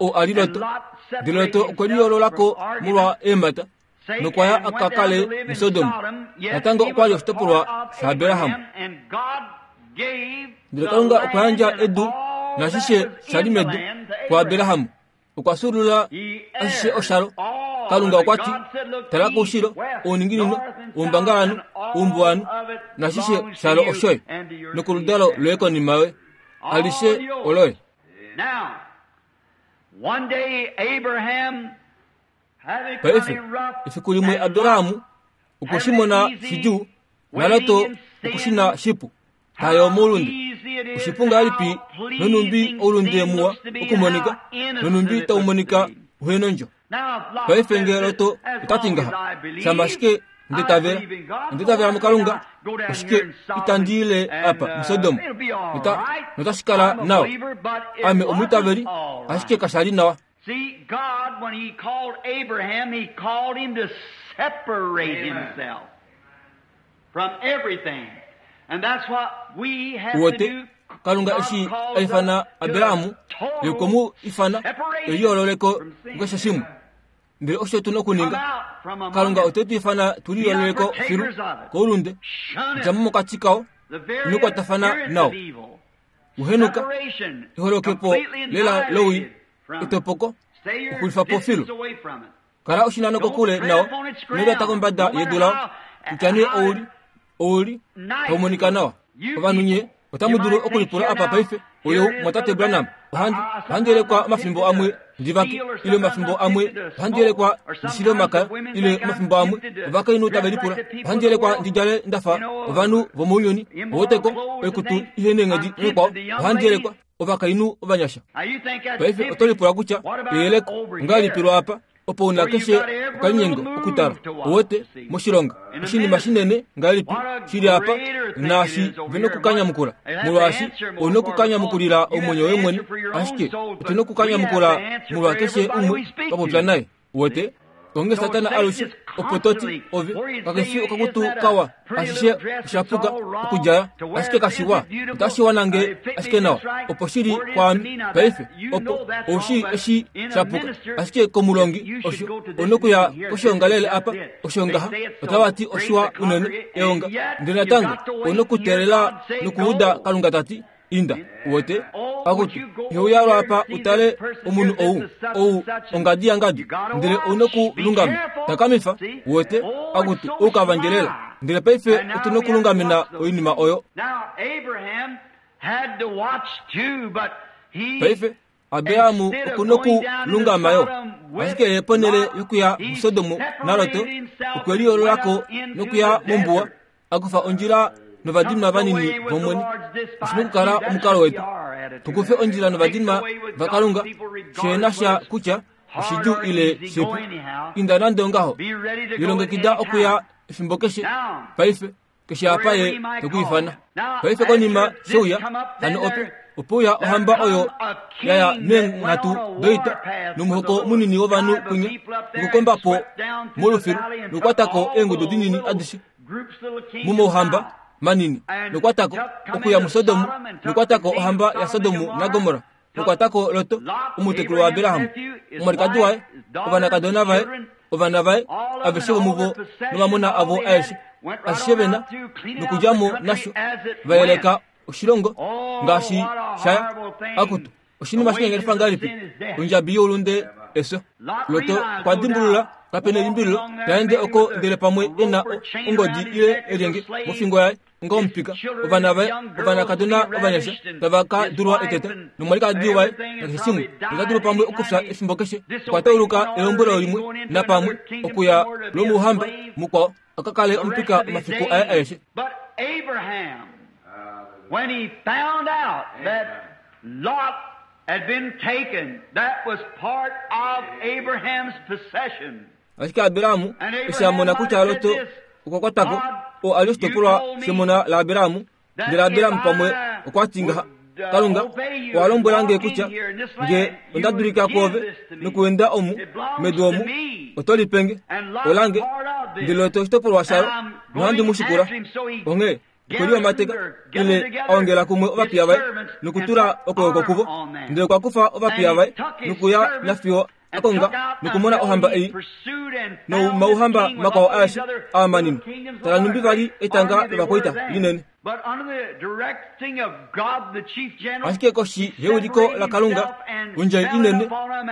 oo a li Lot, ndele Lot okwe liyoololako molwa eemhata nokwa ya a ka kale muSodom. Natango okwa li oshitopolwa shaAbraham. Ndele Kalunga okwa yandja edu nashishe sha li medu kuAbraham. Okwa fyuulula ashishe oshalo. Kalunga okwa ti, tala koushilo, ouninginino, oumbangalanhu, oumbuwanhu, nashishe shalo oshoye, nokoludalo loye konima yoye, alishe oloye. Paife efiku limwe Abraham okwe shi mona shidjuu, naLot okwe shi na shipu, tayo moulunde. Oshipu ngahelipi nonhumbi oulunde muwa okumonika, nonhumbi tau monika uhenondjo. Paife ngee Lot ota ti ngaha, shama ashike nditavela, nditavela muKalunga, oshike itandi ile apa muSodom, notashi kala nawa. Ame omwiitaveli, ashike kasha li nawa. See, God, when He called Abraham, He called him to separate himself from everything. And that's what we have to do. Kalunga eshi a ifana Abraham, ye okwe mu ifana eliyoololeko kukeshe shimwe. Ndele osho tu na okuninga. Kalunga ote tu ifana tu liyoololeko filu koulunde, dja mo mokati kao, ino kwatafana nao. Uhenuka eholokepo lela lowii, etopoko, okulifa po filu. Kala oshinano kokule nao, ino lyata kombada yedu lao, kutya nee ouli, ouli, tau monika nawa. Ovanhu nye otamu dulu okulipula apa paife, oyo mwatate Branham, ohandi ohandi yelekwa omafimbo amwe ndivake, ile omafimbo amwe ohandi yelekwa ndishile omakaya, ile omafimbo amwe ovakainhu tave lipula, ohandi yelekwa ndidjale ndafa ovanhu vomounyuni, oweteko oikutu ihe neenghedi nekwao, ohandi yelekwa ovakainhu ovanyasha. Paife oto lipula kutya eyeleko ongahelipi lwa apa? Opo una keshe okalinyengo okutala uwete moshilonga oshinima shinene ngahelipi shili apa naashi vena okukanyamukula molwaashi ouna okukanyamukulila omwenyo woye mwene ashike otuna okukanyamukula molwa keshe umwe twapopya naye uwete onge Satana alushe opo toti ove kakefi okakutu kawa ashishe oshapuka okudjala ashike kashiwa otashiwa nange ashike nawa opo shili kwaami paife opo oushi eshi shapuka ashike komulongi osho onokuya koshiongalele apa oshongaha otavati oshiwa unene eonga ndele natango onokuteelela nokuuda Kalunga tati inda uwete akutu iheuya apa utale omunhu ou ou ongadi yangadi ndele onokulungama takamifa uwete akutu oukavangelela ndele paife otuna okulungamena oinima oyo. Paife Abrahamu okunokulungama yo ashike ye ponele yokuya muSodomu naLoto okweliyoololako nokuya mombuwa akufa ondjila novadinwa vanini vomwene. Oshina okukala omukalo wetu tukufe ondjila novadinwa vaKalunga shena sha kutya oshidjuu ile shipu inda nande ongaho lilongekida okuya efimbo keshe paife keshe apa ye tokwiifana paife konima sheuya hano ope opo uya ohamba oyo yaya meenghatu doita nomuhoko munini wovanhu kunya nokukombapo molufilu nokukwatako eengudu dinini adishe mumouhamba manini nokukwatako okuya muSodomu nokukwatako ohamba yaSodomu naGomora nokukwatako Loto omutekulu waAbrahamu omwalikadi waye ovanakadona vaye ovana vaye aveshe vomuvo nomamona avo aeshe ashishe vena nokudjamo nasho vayeleka oshilongo ngaashi shaya akutu oshinima shinyanganifa ngahelipi ondjabi youlunde efyo. Loto okwa dimbulula kapena elimbililo taende oko ndele pamwe ena ongodi ile elyenge mofingo yaye onga omupika ovana vaye ovanakadona ovanyasha tava ka dulwa eteta nomwalikadi waye nakeshe shimwe ota dulu pamwe okufya efimbo keshe. Okwa tauluka elombwelo limwe napamwe okuya lomouhamba mukwao akakale omupika omafiku aye aeshe. When he found out that Lot had been taken, that was part of Abraham's possession. Ashike Abrahamu eshi a mona kutya Loto okwa kwatako oo ali oshitopolwa shemona laAbrahamu ndele Abrahamu pamwe okwa ti ngaha Kalunga owa lombwela nge kutya nge onda dulika kwoove nokuenda omu medu omu oto lipenge olange ndele Loto oshitopolwa shalo nohandi mu shikula. Onghee okwelihomateka ile a ongela kumwe ovapiya vaye nokutula okwooko kuvo ndele okwa kufa ovapiya vaye nokuya nafiyo akonga nokumona ohamba ei nomauhamba makwao aeshe aa manini tala numbi vali etanga lovakwaita linene. Ashike koshi yeuliko laKalunga ondjai inene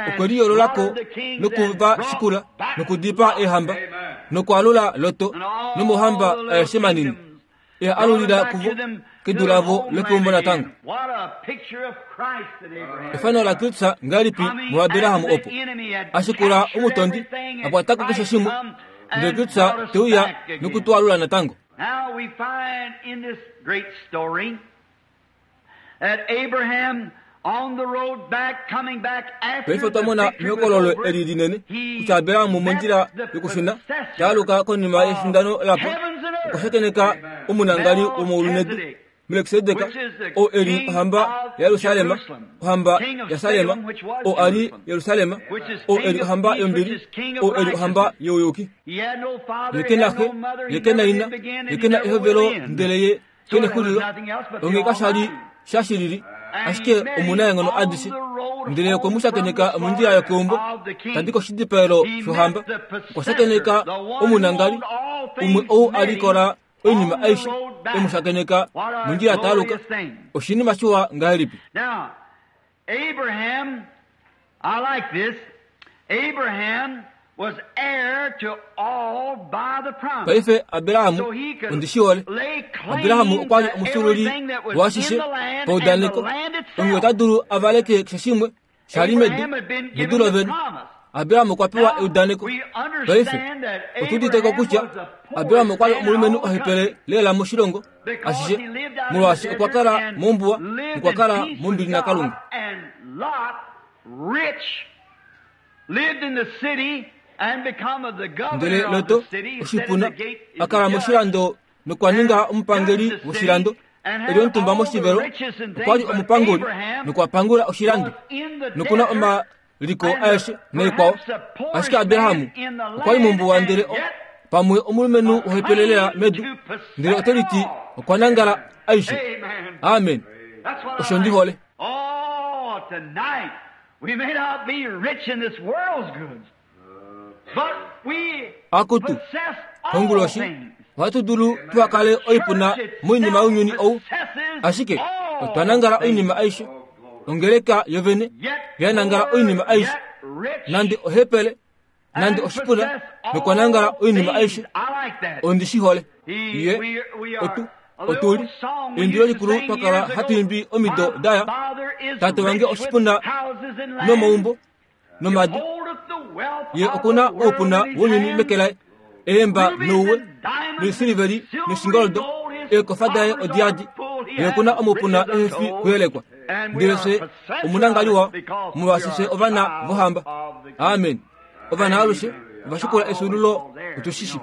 okweliyoololako nokuva shikula nokudipaa eehamba nokwaalula Loto nomauhamba aeshe manini e alulila kuvo kedu lavo lokeumbo natango. Efano la Kristu ngahelipi muAbrahamu opo ashikula omutondi akwatako keshe shimwe ndele Kristu teuya nokutwalula natango. Now we find in this great story that Abraham on the road back, coming back after Paife twamona mehokololo eli linene kutya Abrahamu mondjila yokushuna taaluka konima yefindano lapo okwa shakeneka omunangali womoulunedu Melkisedek oo eli ohamba yaYerusalema ohamba yaSalema oo ali Yerusalema oo eli ohamba yombili oo eli ohamba youyuki. Ye kena xe ye kena ina ye kena ehovelo ndele ye kena exulilo onghee kashali shashilili ashike omunaenghono adishe ndele okwe mu shakeneka mondjila yokeumbo tadi koshidipaelo shohamba okwa shakeneka omunangali umwe ou alikola oinima aishe emu shakeneka mondjila taaluka oshinima shiwa ngahelipi. Now Abraham, I like this. Abraham was heir to all by the promise. Paife Abrahamu ondishiole Abrahamu okwa li omufyuululi waashishe paudaneko onghee ota dulu avaleke keshe shimwe shali medu nedu lovene. Abrahamu okwa pewa eudaneko. Paife otuuditeko kutya Abrahamu okwa li omulumenhu ohepele lela moshilongo ashishe molwaashi okwa kala mombuwa nokwa kala mombili naKalunga. Ndele Loto oshipuna a kala moshilando nokwa ninga omupangeli woshilando. Eli omutumba moshivelo okwa li omupanguli nokwa pangula oshilando nokuna omaliko aeshe naikwao. Ashike Abraham okwa li mombuwa ndele pamwe omulumenhu wohepelelela medu, ndele ote liti okwa nangala aishe. Amen. Osho ndi hole. Akutu konguloshi ohatu dulu tuakale oipuna moinima younyuni ou, ashike otwa nangala oinima aishe. Ongeleka yovene yanangala oinima aishe, nande ohepele nande oshipuna nokwa nangala oinima aishe. Ondi shi hole. Ye otu otuli endilo likulu twakala hatu imbi omido daya. Tate wange oshipuna nomaumbo nomadu, ye okuna oupuna wounyuni meke laye, eemba nouwe noisiliveli noshingoldo, eekofa daye odiadi, ye okuna omaupuna ehefi kuyelekwa. Ndele fye omunangaliwa molwaashi fye ovana vohamba. Amen. Ovana alushe ovashikula efyuululo otushishi.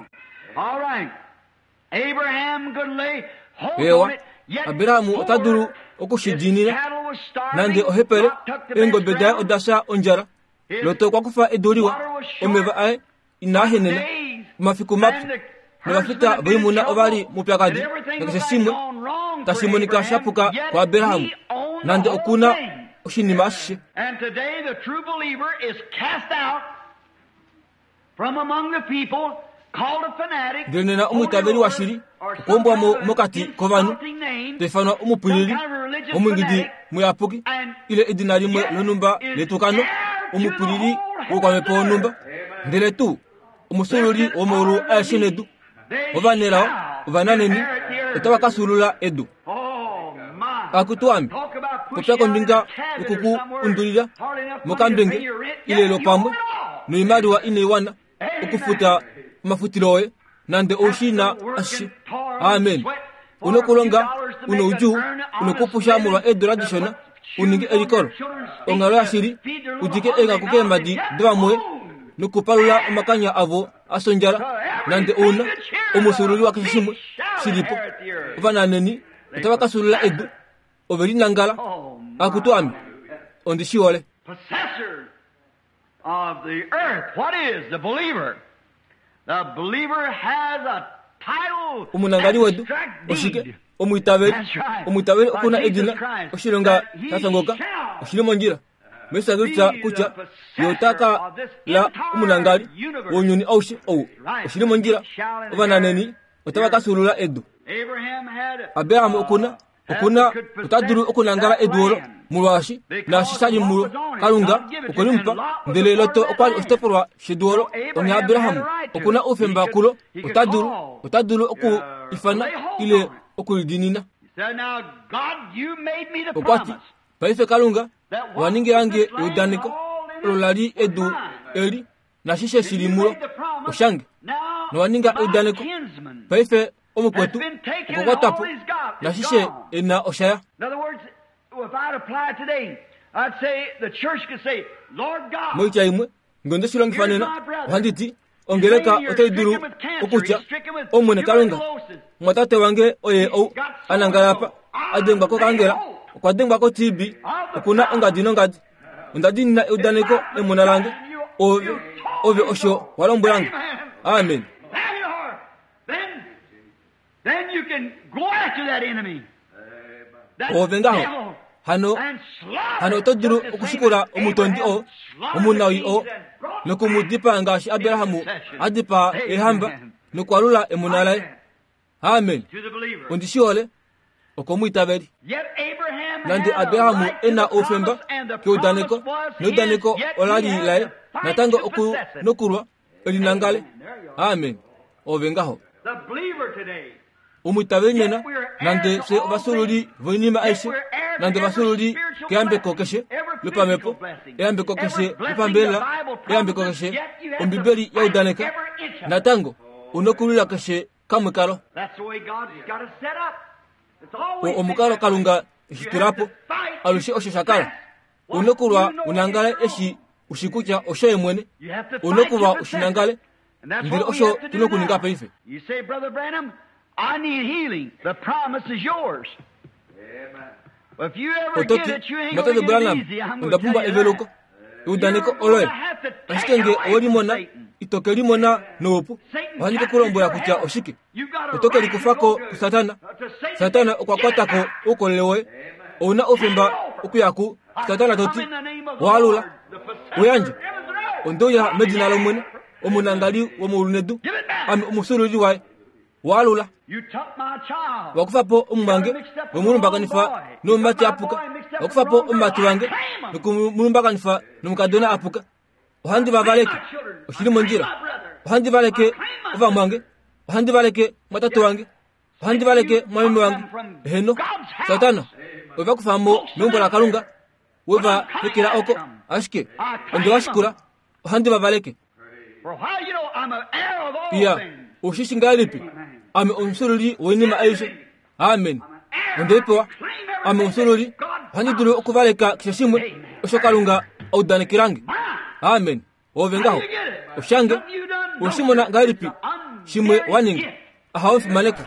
Ewa, Abraham ota dulu okushidiinina nande ohepele, eengobe daye oda fya ondjala. Loto okwa kufa edu liwa, omeva aye inaa henena, omafiku mapyu novafita voimuna ova li moupyakadi nakeshe shimwe tashi monika sha puka kuAbraham, nande okuna oshinima ashishe. Ndele nena omwiitaveli washili okwombwa mo mokati kovanhu, taifanwa omupwilili, omwingidi muyapuki, ile edina limwe lonhumba letukano, omupwilili wokwamhepo wonhumba, ndele tuu omusululi womaulu aeshe nedu. Ovanelao ovananeni otava ka sulula edu. Akutu ame, popya kombinga yokuku undulila mokambenge ile lopamwe noimaliwa inaiwana okufuta omafutilo oye, nande oushina ashishe. Amen. Unokulonga unoudjuu, unokupusha molwa eedola dishona uninge elikolo onghalo yashili, udike eenghaku keemhadi dovamwoye nokupalula omakanya avo asondjala, nande ouna omusululi wakeshe shimwe shilipo. Ovananeni otava ka sulula edu, ove linangala. Akutu ame, ondi shi hole. Of the earth. What is the believer? The believer has a title. Omunangali wedu oshike? Omwiitaveli. Omwiitaveli okuna edina oshilonga shasongoka oshili mondjila. Mesha kutya ye ota ka la omunangali wounyuni aushe ou oshili mondjila. Ovananeni otava ka sulula edu. Abraham okuna okuna ota dulu okunangala edu olo molwaashi naashi sha li mulo Kalunga okwe li mupa, ndele Loto okwa li oshitopolwa shedu olo. Onghee Abraham okuna oufemba kulo, ota dulu ota dulu oku ifana ile okulidiinina. Okwa ti, paife Kalunga owa ningilange eudaneko olo la li edu eli nashishe shili mulo oshange, nowa ninga eudaneko. Paife omukwetu okwa kwatwa po nashishe ena oshaya. Moitya imwe ngeno nde shi longifa nena, ohandi ti ongeleka otai dulu okutya, Omwene Kalunga, mwatate wange oye ou a nangala apa, a dengwa kokangela, okwa dengwa ko-T B, okuna ongadi nongadi. Onda diinina eudaneko emona lange, ove ove osho wa lombwelange. Amen. Ove ngaho hano hano oto dulu okushikula omutondi oo, omunawii oo, nokumudipaa ngaashi Abraham a dipaa eehamba nokwalula emona laye. Amen. Ondi shi hole. Okomwiitaveli. Nande Abraham ena oufemba keudaneko, neudaneko ola li laye, natango oku nokulwa elinangale. Amen. Ove ngaho. Omwiitaveli nena, nande fye ovasululi voinima aishe, nande ovasululi keyambeko keshe lopamhepo, eyambeko keshe lopambelela, eyambeko keshe Ombibeli yaudaneka, natango unokulwila keshe kamwe kalo. O omukalo Kalunga eshi tulapo, alushe osho sha kala. Unokulwa unangale eshi Ushi kutya oshoye mwene. Unokuva ushinangale. Ndele osho tunokuninga paife. You say, Brother Branham, I need healing. The promise is yours. Amen. If you ever get it, you ain't gonna get it easy. I'm gonna tell you that. Eudaneko oloye. Ashike nge owelimona, itoke limona noupu. Ohandi ke kulombwela kutya oshike. Otoke likufako kuSatana. Satana okwa kwatako oukolele woye. Ouna oufemba okuya ku Satana toti waalula uyandje ondouya medina lOmwene omunangali womeulu nedu ame omusululi waye waalula wakufapo omumwange wemulumbakanifa nomumati apuka wakufapo omumati wange nokumulumbakanifa nomukadona apuka ohandi vavaleke oshili mondjila ohandi valeke ovamwange ohandi valeke mwatate wange ohandi valeke mwameme wange eheno Satana ovakufamo meumbo laKalunga weva hekela oko ashike onde washikula ohandi vavaleke iya ushishi ngalipi ame omusululi woinima aishe amen ondeipewa ame omusululi ohandi dulu okuvaleka keshe shimwe osho Kalunga audanekelange amen ove ngaho oshange oshimona ngalipi shimwe waninga ahaofimaneko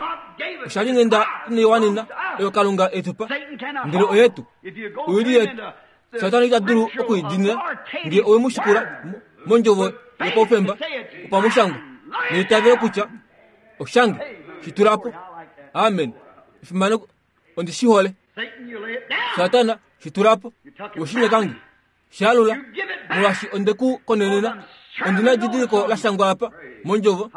oshali ngenda ineiwanina oyo Kalunga etupa ndele oyetu oili yetu Satana ita dulu okuidinila nge owemushikula mondjovo yopaufemba opamushangwa neitavelo kutya oshange shitulapo amen efimaneko ondi shihole Satana shitulapo oshinyekange shalula molwashi ondeku konenena ondina edidiliko la shangwa apa mondjovo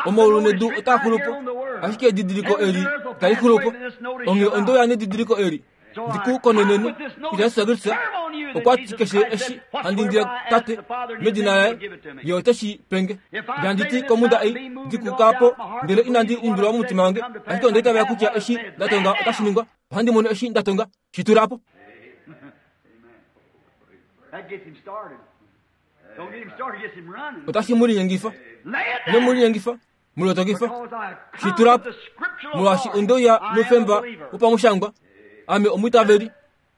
omaulu nedu otaa xulupo ashike edidiliko eli itali xulupo onge ondouya nedidiliko eli ndiku konenene kutya Jesus Kristus okwa ti keshe eshi handi indile tate medina laye ye oteshi penge ndanditi komunda ei ndikukapo ndele inandi undulwa momutima wange ashike ondaitavela kutya eshi ndatonga otashi ningwa ohandi mono eshi ndatonga shitulapo. Otashi mulinyengifa nomulinyengifa mulotokifa shitulapo molwashi ondouya nofemba wopamushangwa ame omwitaveli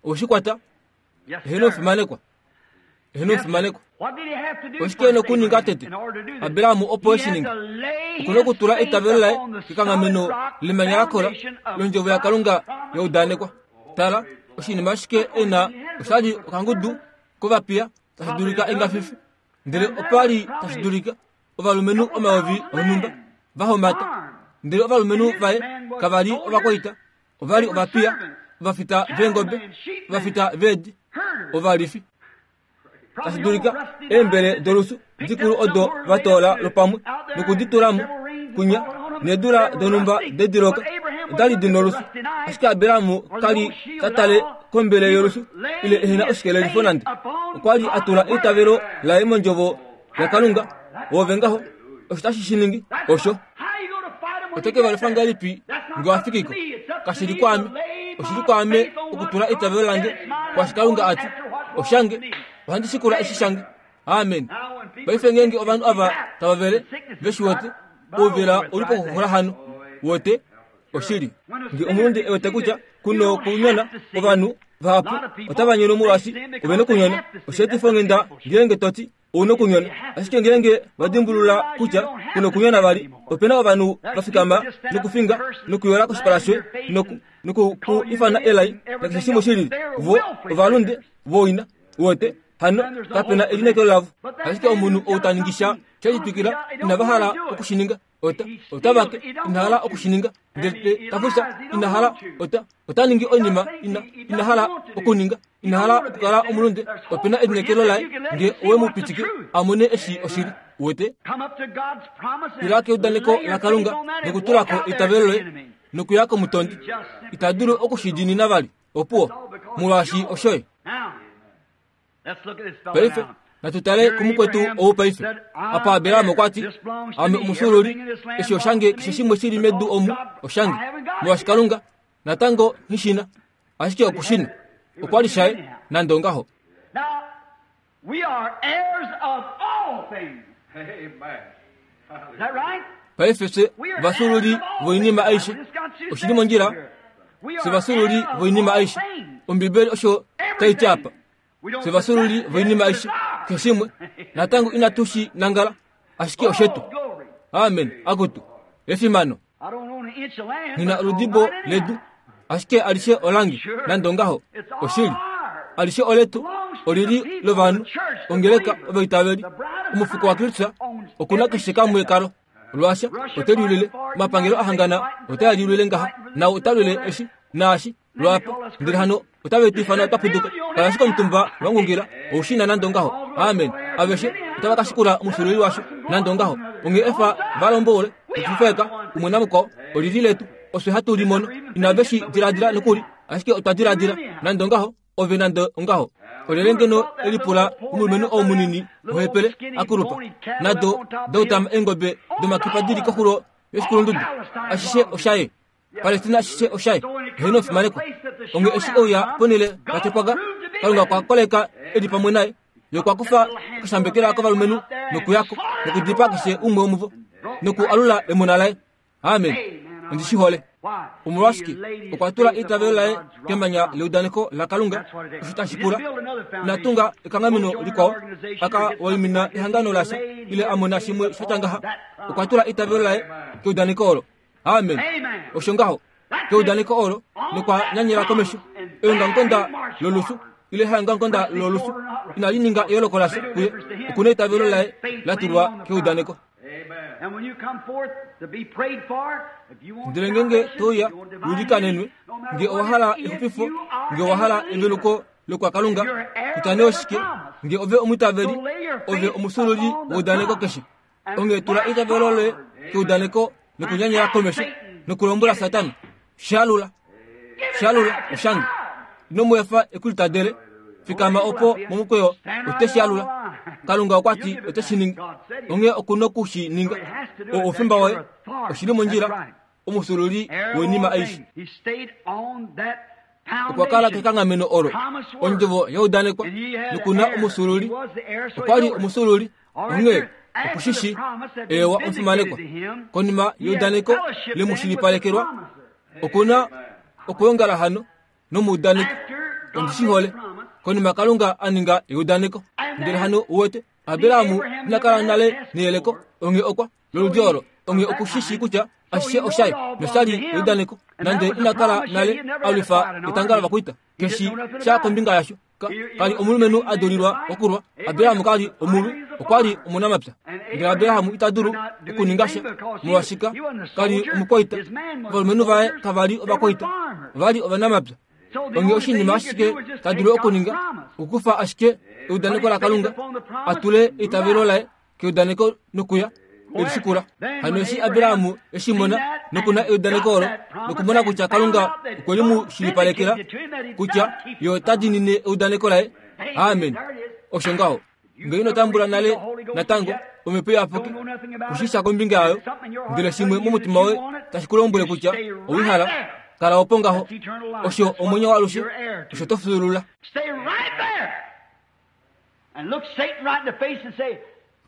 oshikwata eheno fimanekwa eheno fimanekwa oshike nokuninga tete Abrahamu opo eshininga okuna okutula eitavelo laye kekanghameno lemanya lakola londjovo yaKalunga yaudanekwa tala oshinima ashike ena oshali okangudu kovapiya tashi dulika engafifi ndele opali tashi dulika ovalumenhu omayovi onhumba vahomata ndele ovalumenhu vaye kavali ovakwaita ovali ovapiya ovafita veengobe ovafita veedi ovalifi tashi dulika eembele dolusu dikulu odo vatoola lopamwe nokuditulamo kunya needula donhumba dediloka odali dina olusu ashike Abrahamu kali tatale kombele yolusu ile ehena oshikelelifo nande okwali atula eitavelo laye mondjovo yaKalunga wove ngaho osho tashi shiningi osho oteke valifa ngalipi nge wafikiko kashili kwame oshili kwame okutula eitavelo lange kwashi Kalunga ati oshange ohandi shikula eshi shange amen paife ngenge ovanhu ava tavavele veshiwete ouvela ulipo kuxula hano wote oshili nge omulundi ewete kutya kuno kunyona ovanhu vahapu otava nyono molwashi ovena okunyona osheetifo ngenda ngeenge toti ouna okunyona ashike ngeenge vadimbulula kutya kuno okunyona vali opena ovanhu vafikama nokufinga nokuyola koshipala shoye noku noku ifana elai nakeshe shimwe shilili vo ovalunde voina wote hano kapena elinekelo lavo ashike omunhu ou taningisha sheshitwikila inavahala okushininga ota otavake inahala okushininga ndele tafusa inahala ota otaningi oinima ina inahala okuninga inahala okukala omulunde opena elinekelo laye nge owemupitike amone eshi oshili wete ila keudaneko laKalunga nokutulako eitavelo loye nokuya komutondi itadulu okushidinina vali opuwo molwaashi oshoye paife natutale kumukwetu ou paife apa Abrahamu okwa ti ame omusululi eshi oshange keshe shimwe shili medu omu oshange molwaashi Kalunga natango nghishina ashike okushina okwali shaye nande ongaho. Paife fye vasululi voinima aishe oshili mondjila fye vasululi voinima aishe Ombibeli osho taiti apa fye vasululi voinima aishe Keshimwe natango inatu shi nangala ashike oshetu. Amen. Akutu efimano. Nina oludibo ledu ashike alishe olangi nande ngaho oshili alishe oletu olili lovanhu ongeleka ovaitaveli omufuko wa Kristo okuna keshe kamwe kalo Lwasha otelulile mapangelo ahangana otayalulile ngaha na otalule eshi naashi lwapa ndele hano otavetifana otapuduka kalashika omutumba wangungira oushina nande ngaho. Amen. Aveshe otavakashikula omusululi washo nande ngaho onge efa valombole okufeka umwe namukwao olili letu oswe hatu limono inaveshi diladila nokuli ashike otwa diladila nande ngaho ove nande ngaho olele ngeno elipula omulumenhu ou munini ohepele akulupa nado dautama engobe domakipa dili koxulo yoshikulundudu ashishe oshaye Palestina ashishe oshaye heno ofimaneko onge eshi ouya ponele patepwaga Kalunga kwa koleka eli pamwe naye yo kwa kufa okushambekela kovalumenhu nokuyako nokudipa keshe umwe womuvo noku alula emona laye. Amen. Ondishihole omolwashike okwa tula eitavelo laye kemanya leudaneko la Kalunga osho tashi pula natunga ekanghameno likwao aka waimina ehangano lasha ile amona shimwe shatya okwa tula eitavelo laye keudaneko olo. Amen. Osho ngaho keudaneko olo nokwa nyanyela komesho eongamukonda lolusu ile haongamukonda lolusu inali ninga eyooloko lasha kuye okuna eitavelo laye la tulwa keudaneko. Ndele ngenge toya ulikanenwe nge owahala exupifo nge owahala eveluko lokwa Kalunga kutya oshike nge ove omutaveli ove omusululi weudaneko keshe onge tula eitavelo loye keudaneko nokunyanyela komesho nokulombwela Satana shalula shalula oshange ino mu efa ekulitadele fikama opo momukweyo oteshalula Kalunga okwati oteshininga onge okuna okushininga o ofimba woye oshili mondjila omusululi wenima aishe okwa kala kekanghameno olo ondjovo yaudanekwa nokuna omusululi okwali omusululi onge okushishi ewa omufimanekwa konima yeudaneko lemushilipalekelwa okuna okuyongala hano nomuudaneko ondishihole konima Kalunga aninga eudaneko ndele hano uwete Abirahamu inakala nale neyeleko onge okwa loludi olo onge okushishi kutya ashishe oshaye noshali eudaneko nande inakala nale alwifa etanga lovakwita keshi sha kombinga yasho kali omulumenhu adulilwa okulwa Abirahamu kali omulwi okwali omunamapya ndele Abirahamu ita dulu okuninga sha molwashika kali omukwaita ovalumenhu vaye kavali ovakwaita vali ovanamapya onge oshinima ashike ta dulu okuninga okukufa ashike eudaneko la Kalunga atule eitavelo laye keudaneko nokuya elishikula hano eshi Abirahamu eshimona nokuna eudaneko olo nokumona kutya Kalunga okwe li mu shilipalekela kutya yo ota diinine eudaneko laye. Amen. Osho ngaho nge ino tambula nale natango omhepo iyapuki kushisha kombinga yayo ndele shimwe momutima woye tashi ku lombwele kutya owihala kala opo ngaho osho omwenyo waalushe osho to fyuulula.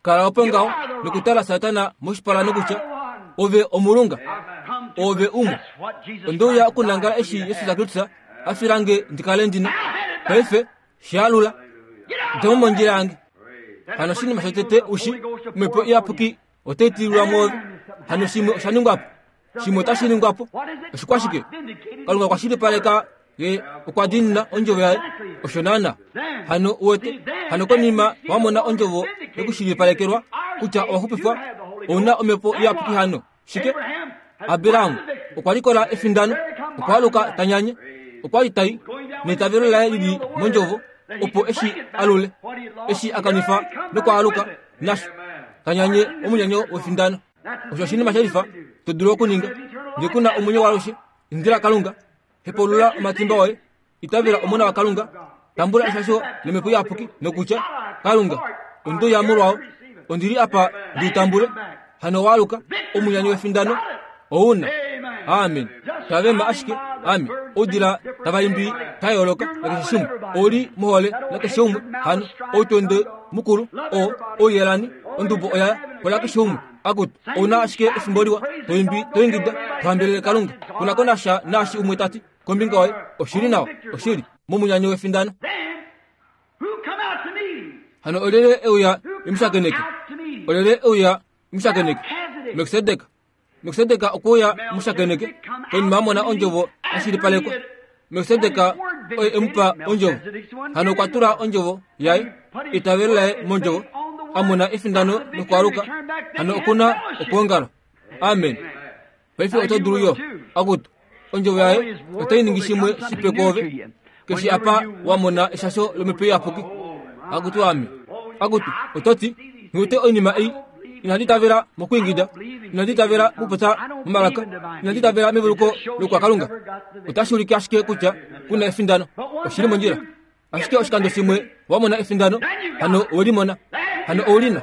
Kala opo ngaho nokutala Satana moshipala nokutya ove omulunga ove umwe ondouya okunangala eshi Yesu Kristo afilange ndikale ndina paife shalula ndemo mondjila yange hano shinima shotete ushi omhepo iyapuki otaitililwa mwoove hano shimwe oshaningwapo shimwe otashiningwapo oshikwashike Kalunga kwashilipaleka ye okwa diinina ondjovo yaye osho naana hano uwete hano konima wamona ondjovo yokushilipalekelwa kutya owaxupifwa ouna omhepo iyapuki hano shike Abirahamu okwa likola efindano okwa aluka tanyanye okwa li tai neitavelo laye lili mondjovo opo eshi alule eshi akanifa nokwa aluka nasho tanyanye omunyanyo wefindano osho oshinima shelifa to dulu okuninga nge kuna omwenyo waalushe indila Kalunga hepulula omatimba oye itavela omona wa Kalunga tambula eshasho lemhepo iyapuki nokutya Kalunga onduya molwao ondili apa ndiutambule hano waaluka omunyanyo wefindano ouna. Amen. Tavema ashike ami odila tavaimbi tayooloka nakeshe shimwe oli muhole nakeshe umwe hano outonde mukulu o oyelani ondubo oya kola keshe umwe akutu ouna ashike efimbo liwa toimbi toingida tohambelele Kalunga kunako nasha naashi umwe tati kombinga oye oshili nawa oshili momunyanyo wefindano. Hano olyelye euya emushakeneke? Olyelye euya emushakeneke? Melkisedek. Melkisedek okwa mushakeneke konima amona ondjovo yashilipalekwa. Melkisedek oye emupa ondjovo. Hano okwa tula ondjovo yaye itavelo laye mondjovo amona efindano nokwaluka. Hano okuna okwoongala. Amen. Paife oto dulu yo akutu ondjovo yaye otai ningi shimwe shipe kwoove keshi apa wamona eshasho lomhepo iyapuki. Akutu ame. Akutu ototi ngute oinima ei inandi tavela mokuingida, inandi tavela mokupopya momalaka, inandi tavela meveluko lokwakalunga. Otashi ulike ashike kutya kuna efindano. Oshili mondjila. Ashike oshikando shimwe wamona efindano, hano owelimona, hano oulina,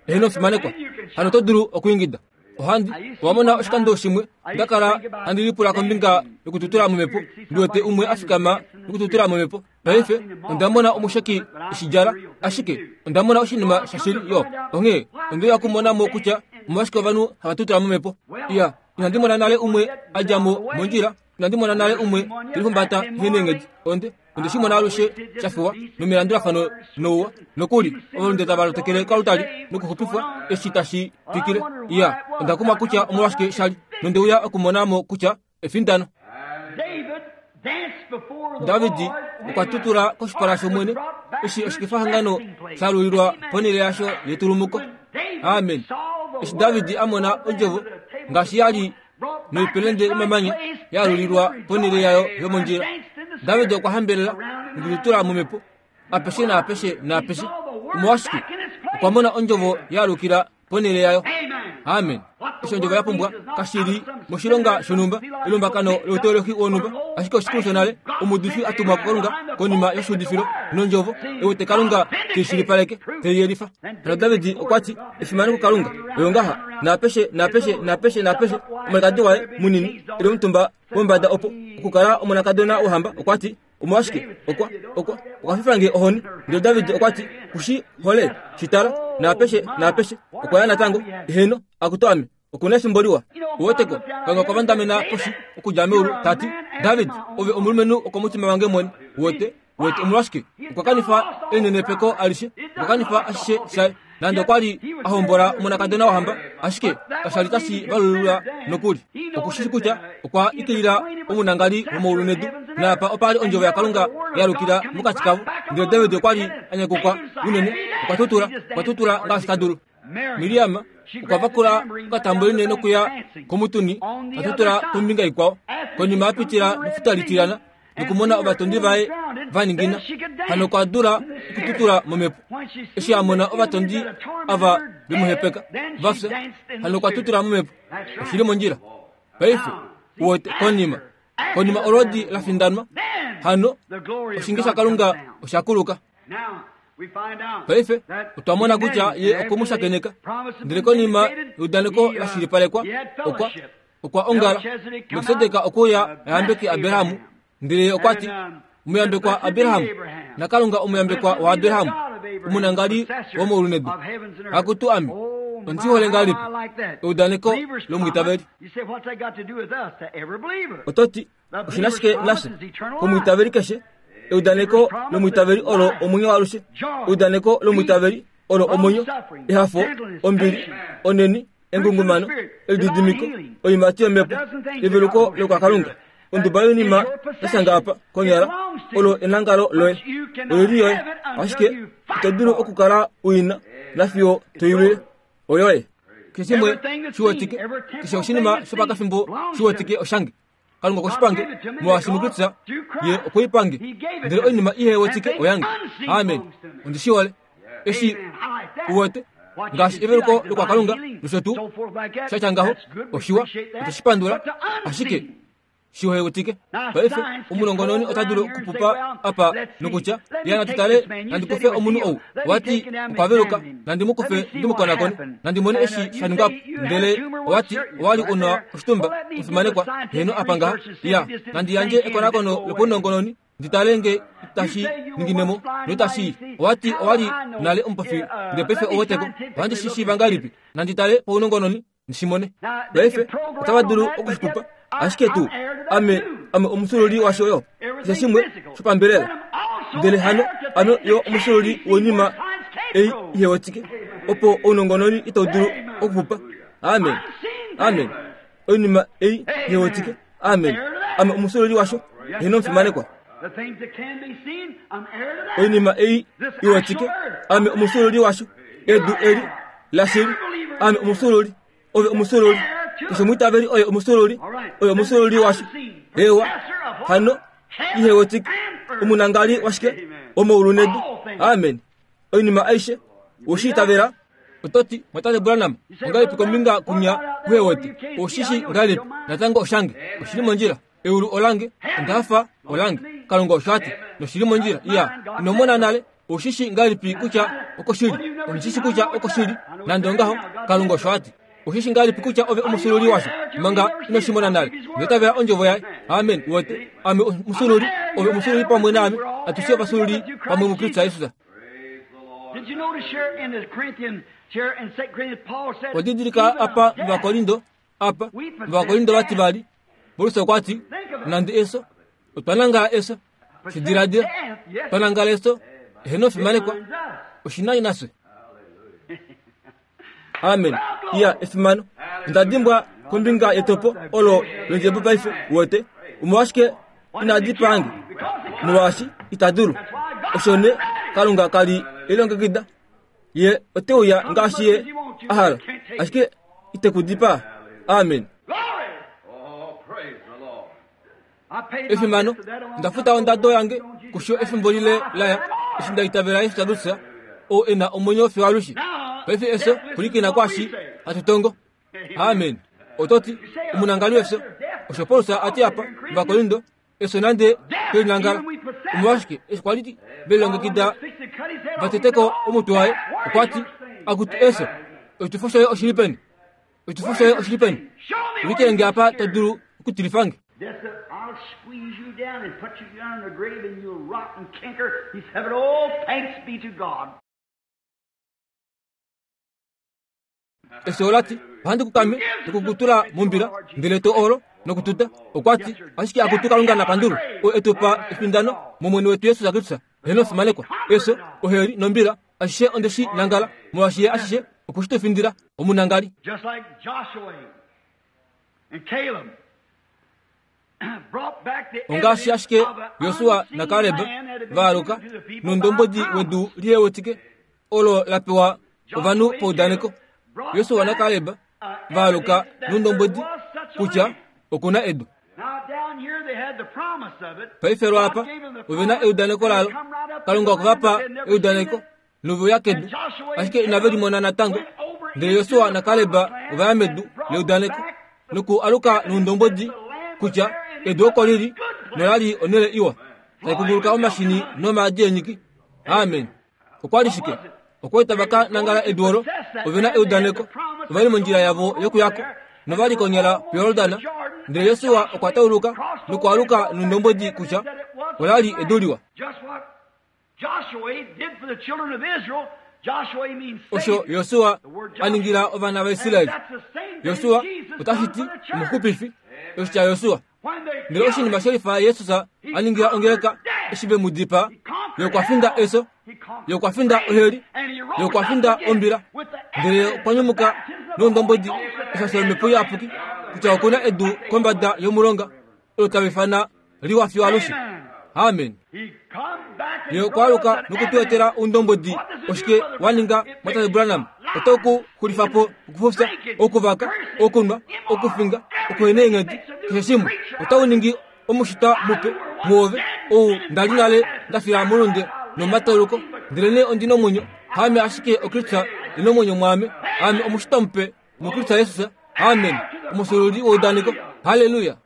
eheno fimanekwa, hano oto dulu okuingida. Ohandi wamona oshikando shimwe ndakala handi lipula kombinga yokututula momhepo, ndiwete umwe afikama nokututula momhepo. Paife ondamona omusheki eshidjala, ashike ondamona oshinima shashili yo. Onghee ondeya kumonamo kutya omolwashike ovanhu hava tutula momhepo. Iya, inandi mona nale umwe adja mo mondjila, inandi mona nale umwe telihumbata neenghedi. Onde onde shi mona alushe shafiwa nomilandulafano nouwa nokuli ovalunde tava lotekele koalutali nokuxupifwa eshi tashi twikile. Iya, onda kumwa kutya omolwashike shali nondeuya okumonamo kutya efindano. David okwa tutula koshipala shOmwene eshi oshikefahangano sha lulilwa ponhele yasho yetulumuko. Amen. Eshi David amona ondjovo ngaashi yali noipelende yomamanya ya lulilwa ponhele yayo yomondjila, David okwa hambelela nokututula momhepo apeshe naapeshe naapeshe. Omolwashike? Okwa mona ondjovo ya lukila ponhele yayo. Amen. Eshi ondjovo ya pumbwa kashili moshilonga shonhumba, elumbakano louteolohi wonhumba, ashike oshikulu shonale omuudifi a tumwa kuKalunga konima yoshuudifilo nondjovo ewete Kalunga teishilipaleke teiyelifa. Hano David okwa ti efimano kuKalunga oyo ngaha naapeshe naapeshe naapeshe naapeshe. Omulikadi waye munini eli omutumba wombada opo okukala omonakadona wohamba okwa ti omolwashike okwa okwa okwa fifa nge ohoni. Ndele David okwa ti kushi hole shitala naapeshe naapeshe. Okwa ya natango eheno akutu ame okuna efimbo liwa. Uweteko Kalunga okwa vandamena poshi okudja meulu tati David ove omulumenhu okomutima wange mwene. Uwete uwete omolwashike okwa kanifa elinenepeko alishe, okwa kanifa ashishe shaye. Nande okwa li a hombola omonakadona wohamba, ashike kashali tashi valulula nokuli. Okushishi kutya okwa ikilila omunangali womaulu nedu, naapa opa li ondjovo yaKalunga ya lukila mokati kavo. Ndele David okwa li a nyakukwa unene, okwa tutula, okwa tutula ngaashi ta dulu. Miriam okwa vakula okatamboline nokuya komutuni, a tutula kombinga ikwao. Konima a pitila mefuta litilana nokumona ovatondi vaye va ningina, hano okwa dula okututula momhepo. Eshi a mona ovatondi ava vemuhepeka va fya, hano okwa tutula momhepo. Oshili mondjila. Paife uwete konima konima olodi la findanwa, hano oshinge shaKalunga osha kuluka. Paife otwa mona kutya ye okwe mu shakeneka, ndele konima eudaneko la shilipalekwa okwa okwa ongala. Melkisedek okwa ayambeke Abraham, ndele okwa ti omuyambekwa Abraham naKalunga omuyambekwa waAbraham omunangali womaulu nedu. Akutu ame ondi hole ngahelipi eudaneko lomwiitaveli. Ototi oshina shike nashe komwiitaveli keshe? Eudaneko lomwiitaveli olo omwenyo waalushe. Eudaneko lomwiitaveli olo omwenyo, ehafo, ombili, oneni, engungumano, elididimiko, oiimati yomhepo, eveluko lokwakalunga. Onduba yoinima yashanga apa konyala olo enangalo loye, olili yoye, ashike ito dulu okukala uina nafiyo toilwile. Oyoye keshe shimwe shiwetike, keshe oshinima shopakafimbo shiwetike oshange. Kalunga okoshipange molwaashi muKristus ye okweipange, ndele oinima ihewetike oyange. Amen. Ondi shi hole eshi uwete ngaashi eveluko lokwakalunga nosho tuu shatya ngaho oshiwa, otoshipandula, ashike shiwetike. Paife omunongononi ota dulu okupupa apa nokutya ya natu tale nandi kufe omunhu ou wati okwa veluka, nandi mu kufe ndi mu konakone, nandi mone eshi sha ningwa po. Ndele owati owali una oshitumba ofimanekwa heno apa ngaha ya nandi yandje ekonakono lopaunongononi ndi tale nge itashi ninginemo noitashi. Owati owali nale omupofi ndele paife oweteko, ohandi shi shiiva ngahelipi? Nandi tale paunongononi ndishimone. Paife otava dulu okushipupa, ashike tuu ame ame omusululi washo yo keshe shimwe shopambelela. Ndele hano ame yo omusululi woinima ei ihewetike opo ounongononi itau dulu okuxupa. Amen. Amen. Oinima ei ihewetike. Amen. Ame omusololi washo heno omufimanekwa. Oinima ei iwetike. Ame omusololi washo edu eli lashili. Ame omusololi. Ove omusololi. Keshe omwiitaveli oye omusololi. Oye omusololi washo. Ewa. Hano ihewetike. Omunangali washike omoulu nedu. Amen. Oinima aishe oshiitavela. Ototi mwatate Branham ongalipi kombinga kunya kuhewete oshishi ngalipi natango oshange oshili mondjila eulu olange ondafa olange Kalunga osho ati noshili mondjila iya inomona nale oshishi ngalipi kutya okoshili onishishi kutya okoshili nande ongaho Kalunga osho ati oshishi ngalipi kutya ove omusululi washo manga inoshimona nale ndetavela ondjovo yaye. Amen. Wote ame omusululi ove omusululi pamwe naame atushe ovasululi pamwe muKristu Jesus. Odidilika apa muVakorindo apa muVakorindo vati vali Paulus okwa ti nande eso otwa nangala eso shidiladila twa nangala eso eheno fimanekwa oshinai naswe. Amen. Iya efimano ndadimbwa kombinga yetopo olo londjebo paife wote omolwashike inadipange molwaashi itadulu oshone Kalunga kali elongekida ye oteuya ngaashi ye ahala ashike itekudipa. Amen. Efimano ndafuta ondado yange kusho efimbo lile laya eshi ndaitavela Yesu Kristus oo ena omwenyo fiyo alushe. Paife eso kulikina kwashi hatutongo. Amen. Ototi omunangali wefyo osho Paulus ati apa muVakorindo eso nande pelinangala omolwashike eshi kwali velongekida vateteko omutwe waye okwa ti akutu eso oshitufo shoye oshili peni oshitufo shoye oshili peni ulikenge apa to dulu okutilifange. I'll squeeze you down and put you down in the grave and you'll rot and canker. He said, oh, thanks be to God. Eso olati ohandi kukame nokukutula mumbila ndele to olo nokututa okwa ti ashike akutu Kalunga napandulu o etupa efindano momwene wetu Yesu Kristus heno fimanekwa eso oheli nombila ashishe ondeshi nangala molwaashi ye ashishe okushitufindila omunangali. Just like Joshua and Caleb ongaashi ashike Josua naKaleb vaaluka nondombodi wedu lihewetike olo lapewa ovanhu paudaneko. Josua naKaleb vaaluka nondombodi kutya okuna edu. Paife lwapa ovena eudaneko lalo Kalunga okuvapa eudaneko noveuya kedu ashike inave limona natango. Ndele Josua naKaleb ovaya medu leudaneko noku aluka nondombodi kutya edu oko lili nolali onele iwa taikunguluka omashini nomaadi enyiki. Amen. Okwali shike okwaita vaka nangala edu olo ovena eudaneko ovali mondjila yavo yokuyako novali konyala puYordana. Ndele Josua okwa tauluka nokualuka nondombodi kutya olali edu liwa. Osho Josua aningila ovana vaIsraeli. Josua otashi ti omuxupifi oshitya Josua. Ndele oshinima shelifa Jesus aningila ongeleka eshi ve mu dipaa ye okwa finda eso ye okwa finda oheli ye okwa finda ombila ndele okwa nyumuka nondombodi eshasho lomhepo iyapuki kutya okuna edu kombada yomulonga olo tava ifana liwa fiyo alushe. Amen. Ye okwa aluka nokutuetela oundombodi oshike waninga mwatate Branham otau ku xulifa po okufufya okuvaka okunwa okufinga okuhena eenghedi keshe shimwe otau ningi omushitwa mupe muove ou ndali nale ndafila molunde nomatauluko ndelene ondina omwenyo haame ashike oKristus ena omwenyo mwaame ame omushitwa mupe muKristus Jesus. Amen. Omusululi woudaneko. Haleluya.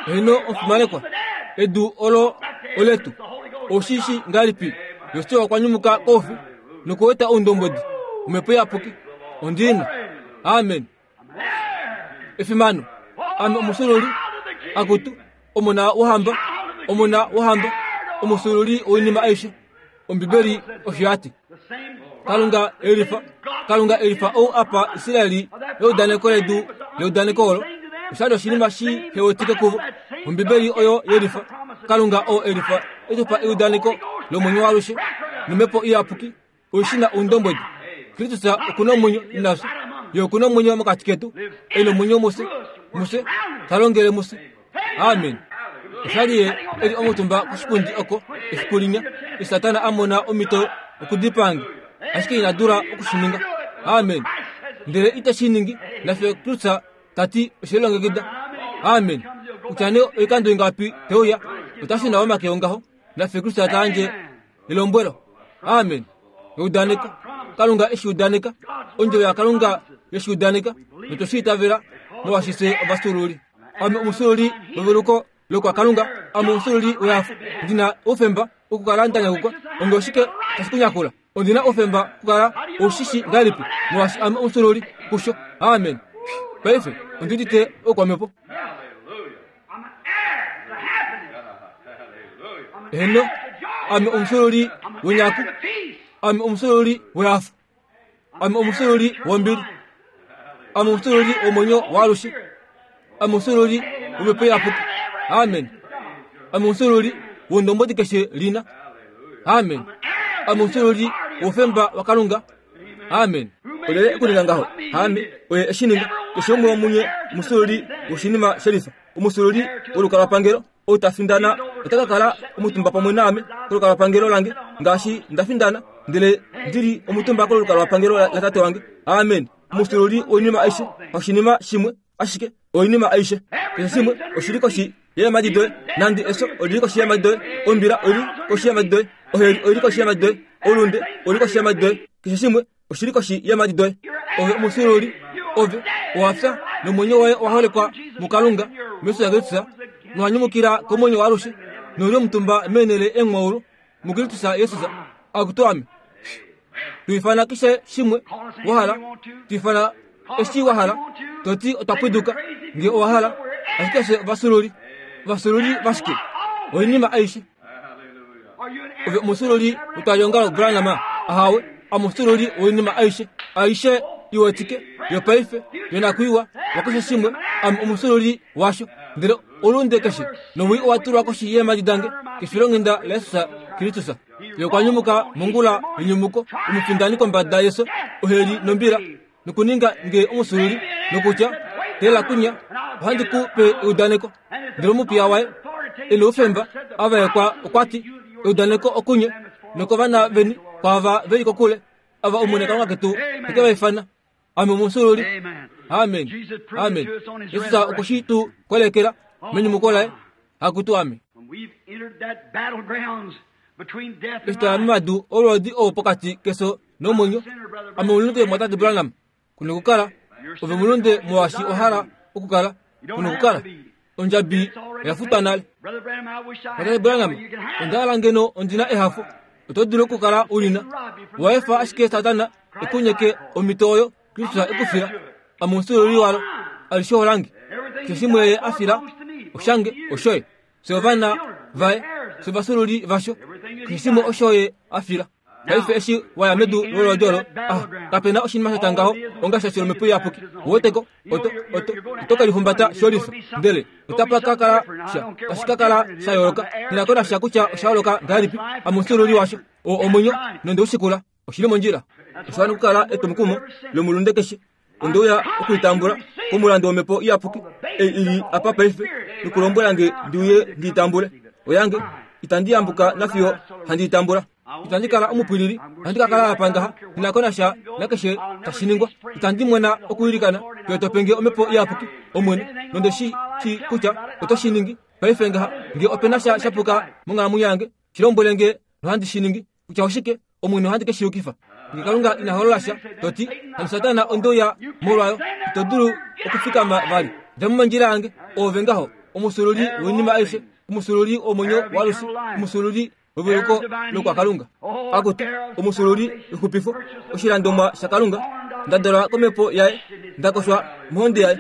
Heno omufimanekwa edu olo oletu oshishi ngalipi Josua okwa nyumuka koufi nokuweta oundombodi omhepo iyapuki ondina. Amen. Efimano ame omusululi akutu omona wohamba omona wohamba omusululi woinima aishe. Ombibeli osho yati Kalunga elifa Kalunga elifa ou apa Israeli leudaneko ledu leudaneko olo oshali oshinima shi hewetike kuvo. Ombibeli oyo yelifa Kalunga oo elifa etupa eudaneko lomwenyo waalushe nomhepo iyapuki oishina oundombwedi. Kristus okuna omwenyo nafye, ye okuna omwenyo mokati ketu, e nomwenyo mufye, mufye ta longele mufye. Amen. Oshali ye eli omutumba koshipundi oko efiku linya, eshi Satana a mona omhito okudipaange, ashike ina dula okushininga. Amen. Ndele ite shi ningi nafye Kristus tati oshelilongekida. Amen. Kutya nee oikando ingapi teuya, otashi na omake ongaho nafye Kristus ta yandje elombwelo. Amen. Eudaneko Kalunga eshi udaneka, ondjovo yaKalunga yeshi udaneka, notoshi itavela molwaashi fye ovafyuululi. Ame omufyuululi weveluko lokwaKalunga, ame omufyuululi wehafo. Ndina oufemba okukala nda nyakukwa. Onge oshike tashi ku nyakula? Ondina oufemba okukala oushishi ngahelipi molwaashi ame omufyuululi kusho. Amen. Paife ondi udite oukwamhepo. Heno, ame omufyuululi wenyaku, ame omufyuululi wehafo, ame omufyuululi wombili, ame omufyuululi womwenyo waalushe, ame omufyuululi womhepo iyapuki. Amen. Ame omufyuululi wondombwedi keshe lina. Amen. Ame omufyuululi woufemba waKalunga. Amen. Olyelye ekuninga ngaho? Haame, oye eshi ninga. Keshe umwe womunye omufyuululi woshinima shelifa, omufyuululi wolukalwapangelo. Ou ta findana ota ka kala omutumba pamwe naame kolukalwapangelo lange, ngaashi nda findana ndele ndili omutumba kolukalwapangelo latate wange. Amen. Omufyuululi woinima aishe, hashinima shimwe ashike, oinima aishe. Keshe shimwe oshili koshi yeemhadi doye, nande efyo olili koshi yeemhadi doye, ombila oili koshi yeemhadi doye, oheli oili koshi yeemhadi doye, oulunde ouli koshi yeemhadi doye. Keshe shimwe oshili koshi yeemhadi doye. Ove omufyuululi, ove owa fya nomwenyo woye owa holekwa muKalunga meisho laKristus, nowa nyumukila komwenyo waalushe, nouli omutumba meenhele eemwaulu muKristus Jesus. Akutu ame, tu ifana keshe shimwe wa hala, tu ifana eshi wa hala, toti otwa pwiduka nge owa hala, ashike fye ovafyuululi. Ovafyuululi vashike? Oinima aishe. Ove omufyuululi wetwaliongalo Branham? Ahawe, amufyuululi woinima aishe, aishe iwetike, yopaife, yonakwiiwa, wakeshe shimwe, ame omufyuululi washo. Ndele olunde keshe nowii owa tulwa koshi yeemhadi dange kefilonghenda laJesus Kristus. Ye okwa nyumuka mongula yenyumuko, omufindani kombada yefyo, oheli nombila, nokuninga nge omufyuululi, nokutya teela kunya, ohandi ku pe eudaneko. Ndele omupiya waye e noufemba a vaekwa okwa ti, eudaneko okunye nokovana veni kwaava veli kokule, ava Omwene Kalunga ketu te ke va ifana. Ame omufyuululi. Amen. Amen. Jesus okwe shi tu kolekela menyumuko laye. Akutu ame. Eshi twaya momadu olwoodi oo pokati kefyo nomwenyo, ame omulunde mwatate Branham, kuna okukala. Ove omulunde molwaashi owa hala okukala, kuna okukala. Ondjabi oya futwa nale. Mwatate Branham, onda hala ngeno ondina ehafo. Oto dulu okukala ulina. Owa efa ashike Satana ekunyeke omhito oyo Kristus ekufila. Ame omufyuululi walo, alishe olange. Keshe shimwe ye a fila, oshange, oshoye. Fye ovana vaye, fye ovafyuululi vasho. Keshe shimwe osho ye a fila. Paife eshi waya medu lolwoodi olo, ah, kapena oshinima sha tya ngaho onga shasho lomhepo iyapuki. Ouweteko, oto, oto, oto ke lihumbata sholifa, ndele otapa ka kala sha, tashi ka kala sha yooloka. Nghi na sha kutya osha yooloka ngahelipi, ame omufyuululi washo. Oo omwenyo nonde u shikula, oshili mondjila. Osha wana okukala etwomukumo lomulunde keshe. Onde uya okuitambula komulandu womhepo iyapuki ei ili apa paife, nokulombwela nge ndi uye ndi itambule. Oyange, itandi yambuka nafiyo handi itambula. Itandi kala omupwilili, ohandi ka kala apa ngaha, nghi na ko nasha nakeshe tashi ningwa. Itandi mwena okwiilikana fiyo to pe nge omhepo iyapuki, Omwene, nonde shi shii kutya oto shi ningi. Paife ngaha, nge ope na sha shapuka monghalamwenyo yange, shi lombwele nge nohandi shi ningi. Kutya oshike, Omwene ohandi ke shi yukifa. Nge Kalunga ina holola sha, to ti, hano Satana onde uya molwayo, ito dulu okufikama vali. Dja mo mondjila yange, oove ngaho, omufyuululi woinima aishe, omufyuululi womwenyo waalushe, omufyuululi weveluko lokwaKalunga. Akutu, omufyuululi wexupifo, oshilandomwa shaKalunga, nda dalwa komhepo yaye, nda koshwa mohonde yaye.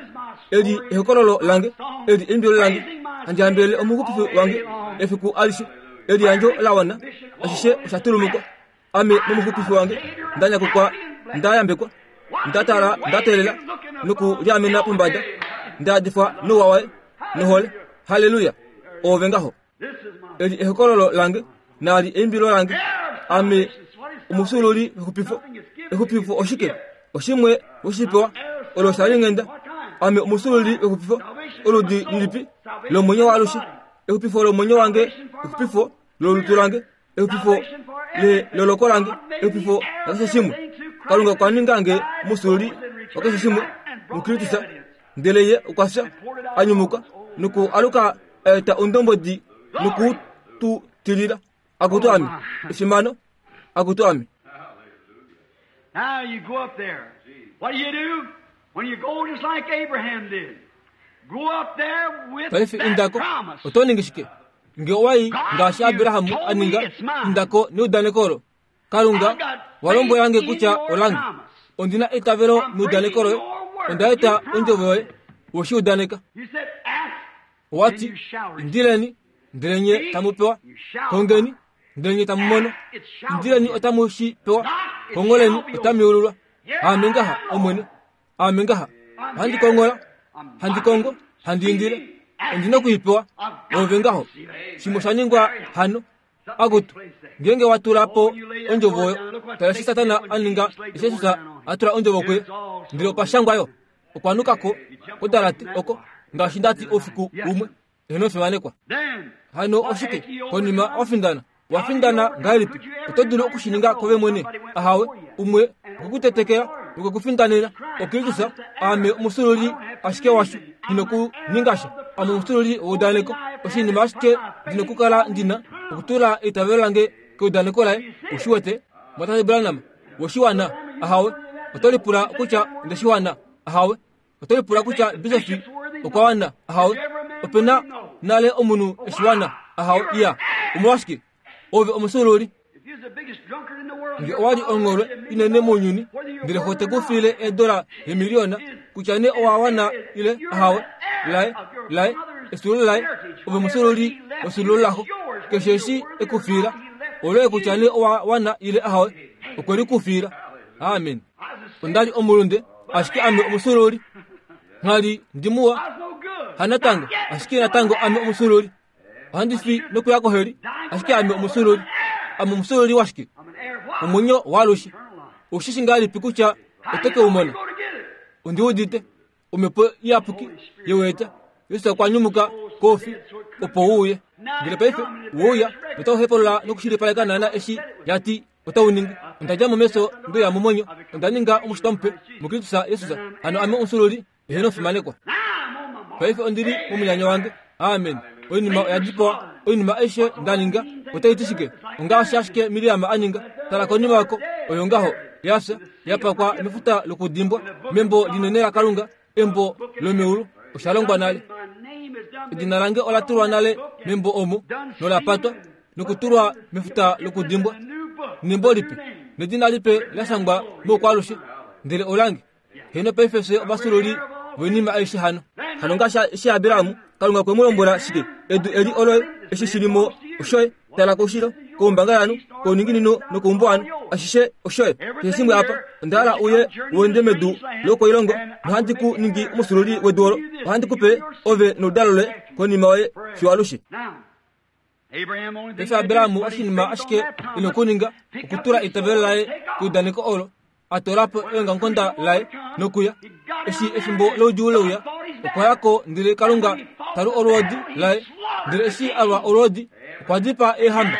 Eli ehokololo lange, eli eimbilo lange, handi hambelele omuxupifi wange efiku alishe. Eliyandjo la wana, ashishe osha tulumukwa. Ame momuxupifi wange nda nyakukwa, nda yambekwa, nda tala, nda teelela nokuliamena pombada, nda yadifwa nouwa waye nohole. Halleluya! Oove ngaho. Eli ehokololo lange naali eimbilo lange. Ame omusululi wexupifo. Exupifo oshike? Oshimwe woshipewa olo shalinghenda. Ame omusululi wexupifo oludi lilipi lomwenyo waalushe. Exupifo lomwenyo wange, exupifo lolutu lange, exupifo leloloko lange, exupifo lakeshe shimwe. Kalunga okwa ninga nge omusululi wakeshe shimwe muKristus, ndele ye okwa fya, a nyumuka noku aluka eta ondombodi noku tu tilila. Akutu ame efimano, akutu ame. Now you go up there. What do you do? When you go just like Abraham did. Go up there with Paife that indako promise. oto ningi shike? Nge owai ngaashi Abrahamu aninga indako neudaneko olo. Kalunga walombwela nge kutya olange. Ondina eitavelo meudaneko loye. Onda eta ondjovo yoye woshiudaneka. You said ask Owati indileni ndele nye tamu pewa. Kongeni ndele nye tamu mono. Indileni otamu shi pewa. Kongoleni otamu yeululwa. Ame ngaha Omwene. Ame ngaha. Handi kongola, handi kongo, handi indile. Ondina okuipewa. Ove ngaho. Shimwe osha ningwa hano. Akutu ngenge watula po ondjovo oyo. Tala eshi Satana a ninga eshi Jesus a tula ondjovo kuye. Ndele opa shangwa yo. Okwa nukako kodalate oko ngaashi ndati oufiku umwe. Eheno fimanekwa. Then Hano oshike konima wafindana. Wafindana ngahelipi? Oto dulu okushininga kove mwene. Ahawe umwe okukutetekela nokukufindanena. Okristus ame omusululi ashike washo ndinokuningasha. Ame omusululi weudaneko. Oshinima ashike ndinokukala ndina okutula eitavelo lange keudaneko laye. Ushiwete Mwatate Branham woshiwana? Ahawe. Oto lipula kutya ondeshiwana? Ahawe. Oto lipula kutya bisofi okwa wana? Ahawe. Opena nale omunhu eshiwana? Ahawe. Iya. Omolwashike? Ove omusululi. if you're the biggest drunkard in the world, Nge owali ongholwe inene mounyuni ndele ho tekufile eedola yemiliyona kutya nee owa wana ile ahawe laye laye esulo laye ove musululi wesulo laxo keshe eshi ekufila oloye kutya nee owa wana ile ahawe okwe likufila. Amen. Ondali omulunde ashike ame omusululi. Nghali ndimuwa I was no good. hanatango ashike natango ame omusululi. Ohandi fi nokuya koheli ashike ame omusululi. Ame omusululi washike? I'm an heir of what? Omwenyo waalushe. Eternal life. Ushishi ngahelipi kutya oto ke u mona? Go to get it. Ondiudite omhepo iyapuki yeweeta. Yesu okwa nyumuka kofi opo uuye. Ndele paife wouya notauhepolola nokushilipaleka naana eshi yati otau ningi. Ondadja mo meso ndoya momwenyo. Onda ninga omushitwa mupe muKristus Jesus. Hano ame omusululi eheno fimanekwa. Now I'm on my mark. Paife ondili momunyanyo wange. Amen. Oinima oya dipawa. Oinima aishe ndaninga otai ti shike? Ongaashi ashike Miriam a ninga. Tala konima yako oyo ngaho yafya yapakwa mefuta lokudimbwa membo linene la Kalunga, embo lomeulu. Osha longwa nale. My name is done. Edina lange ola tulwa nale membo omo nola patwa nokutulwa mefuta lokudimbwa. Nembo lipe nedina lipe lashangwa moukwalushe ndele olange. Heno paife fye ovasululi voinima aishe hano. Hano ngaashi eshi Abrahamu Kalunga kwe mu lombwela shike? Edu eli oloye eshi shilimo oshoye. Tala koushilo, koumbangalanhu, kouninginino nokoumbuwanhu, ashishe oshoye. Keshe shimwe apa onda hala uye uende medu lokoilongo nohandi ku ningi omusululi wedu olo. Ohandi kupe ove noludalo loye konima yoye fiyo alushe. Now, Abraham only Paife Abrahamu oshinima ashike ina okuninga okutula eitavelo laye keudaneko olo. A toola po eongamukonda laye nokuya. Eshi efimbo loudjuu leuya, okwa yako ndele Kalunga talu olwoodi laye. Ndele eshi alwa olwoodi, okwa dipaa eehamba.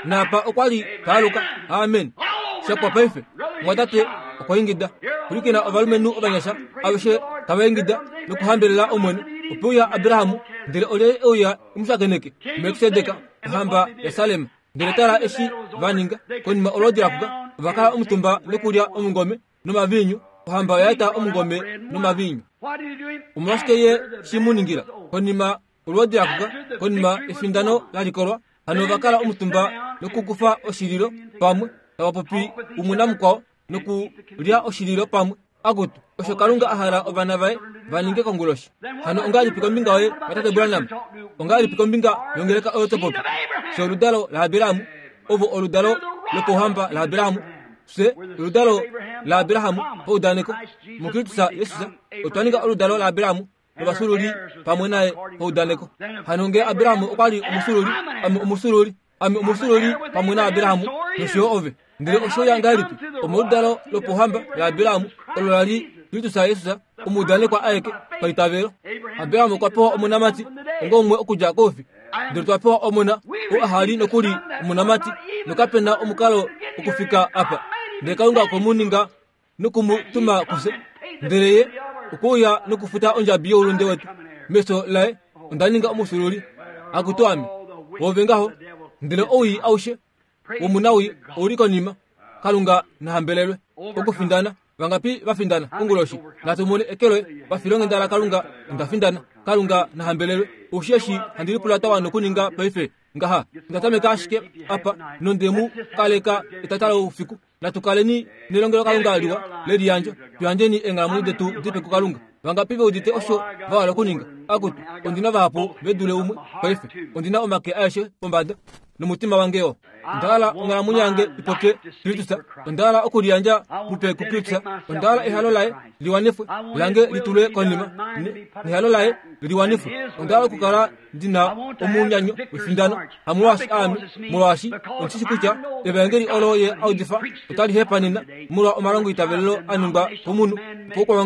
Naapa okwa li taaluka. Amen. Shakwa paife mwatate okwa ingida. Pwilikina ovalumenhu ovanyasha aveshe tava ingida nokuhambelela Omwene. Ope uya Abrahamu ndele olyelye euya emushakeneke? Melkisedek ohamba yaSalem. Ndele tala eshi va ninga konima olwoodi lakuka. Ova kala omutumba nokulya omungome nomaviinyu. Ohamba oya eta omungome nomaviinyu. What did he do him? Omolwashike ye shi mu ningila? Konima olwoodi lakuka, konima efindano la likolwa, hano ova kala omutumba nokukufa oshililo pamwe, tava popi umwe namukwao nokulya oshililo pamwe. Akutu osho Kalunga a hala ovana vaye va ninge konguloshi. Hano ongahelipi kombinga yoye Tate Branham? Ongahelipi kombinga yongeleka oyo to popi? Fye oludalo laAbrahamu, ovo oludalo lopouhamba laAbrahamu. Fye oludalo laAbrahamu paudaneko muKristus Jesus. Otwa ninga oludalo laAbrahamu novafyuululi pamwe naye paudaneko. Hano nge Abraham okwa li omufyuululi, ame omufyuululi, ame omufyuululi pamwe naAbraham nosho yo ove. Ndele osho ya ngahelipi omoludalo lopohamba laAbraham olo la li Kristus Jesus omuudanekwa aeke paitavelo. Abraham okwa pewa omonamati onga umwe okudja koufi, ndele twa pewa omona oo aha li nokuli omonamati, nokapena omukalo okufika apa. Ndele Kalunga okwe mu ninga noku mu tuma kufye, ndele ye okwe uya nokufuta ondjabi youlunde wetu. Meso laye onda ninga omufyuululi. Akutu ame, woove ngaho, ndele owii aushe womunawii ouli konima. Kalunga nahambelelwe. Okufindana vangapi vafindana konguloshi? Natu mone ekelo vafilonghenda laKalunga. Onda findana. Kalunga nahambelelwe. Osheshi handi lipula tawa nokuninga paife ngaha. Onda tameka ashike apa nonde mu kaleka etata loufiku. Natu kaleni nelongelo Kalunga liwa leliyandjo. Tuyandjeni eenghalamwenyo detu dipe kuKalunga. Vangapi ve udite osho va hala okuninga? Akutu, ondina vahapu ve dule umwe paife. Ondina omake aeshe pombada nomutima wange yo. Onda hala onghalamwenyo yange ipopye Kristus. Onda hala okuliyandja mupe kuKristus. Onda hala ehalo laye liwanifwe, lange litulwe konima, nehalo laye liwanifwe. Onda hala okukala ndina omunyanyo wefindano, hamolwaashi aame, molwaashi ondishi kutya evangeli olo ye audifa otali hepanena molwa omalongo itavelelo a ningwa komunhu opo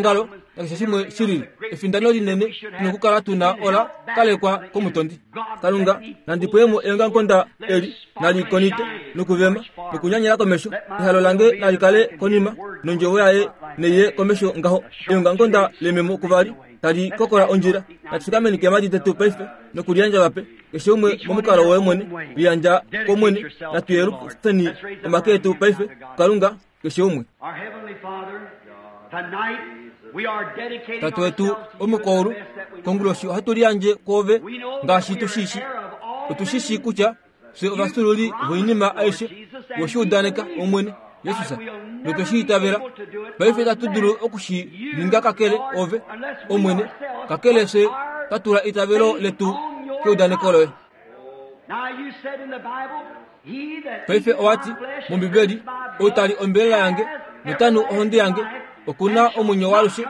nakeshe shimwe shilili. Efindano linene nokukala tuna ola kalekwa komutondi. Kalunga nandi pwemo eongamukonda eli nalikonite nokuvema nokunyanyela komesho. Ehalo lange nali kale konima nondjovo yaye neiye komesho ngaho. Eongamukonda lememo kuvali tali kokola ondjila. Natufikameni keemhadi detu paife nokuliyandja vape keshe umwe momukalo woye mwene. Liyandja komwene. Natuyelufeni omake etu paife Kalunga keshe umwe. Tate wetu omukoulu, konguloshi ohatu liyandje kwoove ngaashi tushishi. Otushishi kutya fye ovafyuululi voinima aishe woshiudaneka Omwene Jesus, notwe itavela. Paife itatu dulu okushi ninga kakele ove Omwene, kakele fye twa tula eitavelo letu keudaneko loye. Paife owati mOmbibeli, ou tali ombelela yange notanu ohonde yange okuna omwenyo waalushe,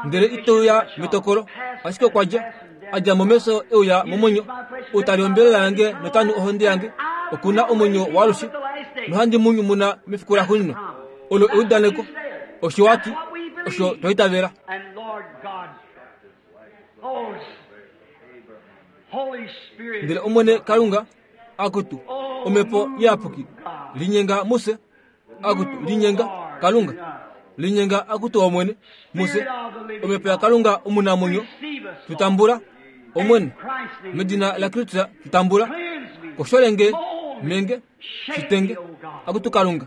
ndele iteuya metokolo, ashike okwa dja adja momesho euya momwenyo. Ou tali ombelela yange notanu ohonde yange okuna omwenyo waalushe, nohandi mu nyumuna mefiku laxuuninwa. Olo eudaneko. Osho wati, osho twa itavela. Ndele Omwene Kalunga, akutu omhepo iyapuki linyenga muse, akutu linyenga Kalunga, linyenga akutu Omwene muse, omhepo yaKalunga omunamwenyo, tutambula Omwene medina laKristus, tutambula kosholenge menge shitenge akutu Kalunga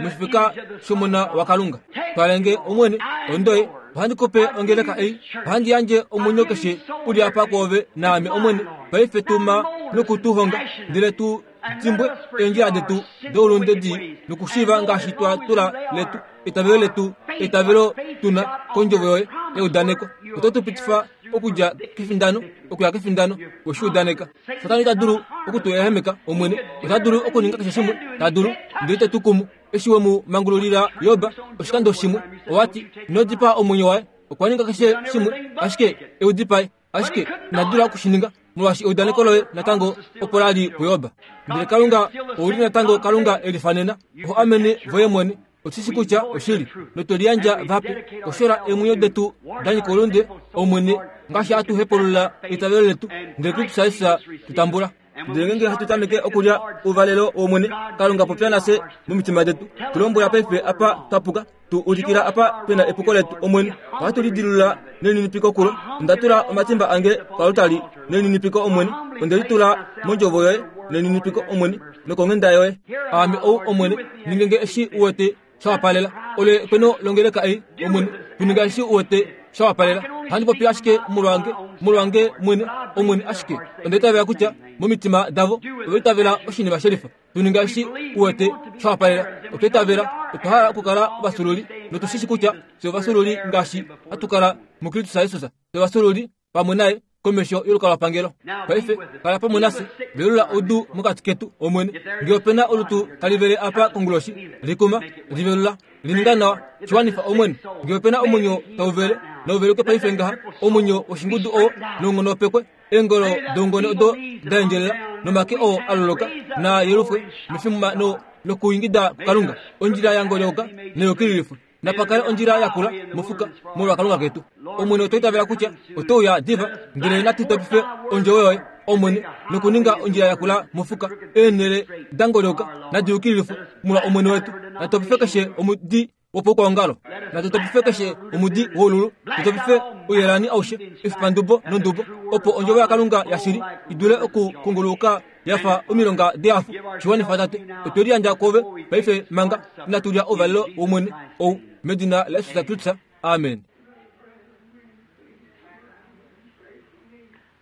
moshifeka shomona waKalunga. Twalenge Omwene ondoye, ohandi kupe ongeleka ei, ohandi yandje omwenyo keshe uli apa kwoove naame Omwene. Paife tuma nokutuhonga, ndele tu dimbwe eendjila detu doulunde dii nokushiiva ngaashi twa tula letu eitavelo letu eitavelo tuna kondjovo yoye eudaneko. Oto tu pitifa okudja kefindano okuya kefindano weshiudaneka. Satana ita dulu okutu ehemeka Omwene, ota dulu okuninga keshe shimwe ta dulu, ndele ite tu kumu. Eshi we mu mangululila Job oshikando shimwe, owati ino dipaa omwenyo waye. Okwa ninga keshe shimwe ashike eu dipae, ashike ina dula okushininga molwaashi eudaneko loye natango opo la li puJob. Ndele Kalunga ouli natango Kalunga e lifanena, oho amene voye mwene. Otushishi kutya oshili, notwe liyandja vape koshola eemwenyo detu da nyika oulunde Omwene, ngaashi hatu hepulula eitavelo letu, ndele Kristus Jesus tutambula. Ndele ngeenge hatu tameke okulya ouvalelo wOmwene, Kalunga popya nafye momitima detu. Tulombwela paife apa twa puka, tu ulikila apa pena epuko letu Omwene. Ohatu lidilula nelininipiko kulo. Onda tula omatimba ange koaltari nelininipiko Omwene. Onde litula mondjovo yoye nelininipiko Omwene, nokonghenda yoye. Aame ou Omwene, ninge nge eshi u wete sha wapalela. Olo ekweno longeleka ei Omwene, tuninga eshi u wete sha wapalela. Ohandi popi ashike molwange, molwange mwene Omwene, ashike onda itavela kutya momitima davo ova itavela oshinima shelifa. Tuninga eshi u wete sha wapalela. Otwa itavela, otwa hala okukala ovafyuululi, notushishi kutya fye ovafyuululi ngaashi hatu kala muKristus Jesus. Fye ovafyuululi pamwe naye komesho yolukalwapangelo. Paife kala pamwe nafye, velula oudu mokati ketu Omwene. Ngee opena olutu tali vele apa konguloshi, likuma, livelula, lininga nawa, shiwanifa Omwene. Ngee opena omwenyo tau vele, Nouveluke paife ngaha omwenyo woshingudu oo noungonopekwe eengolo doungone odo daendjelela nomake oo aloloka na yelufwe mefimano lokuingida kuKalunga. Ondjila yangolyoka neyukililifwe napakale ondjila yakula mofuka molwa Kalunga ketu. Omwene otwa itavela kutya otouya diva, ndele natu topife ondjovo yoye Omwene nokuninga ondjila yakula mofuka eenhele dangolyoka nadiyukililifwe molwa Omwene wetu. Natopife keshe omudi wopoukwaongalo, natutopife keshe omudi woululu, tutopife ouyelani aushe efipandubo nondubo, opo ondjovo yaKalunga yashili idule okukunguluka yafa omilonga deafu. Shiwanifa Tate, otwe liyandja kwoove paife manga inatu lya ouvalelo wOmwene ou, medina laJesus Kristus, amen.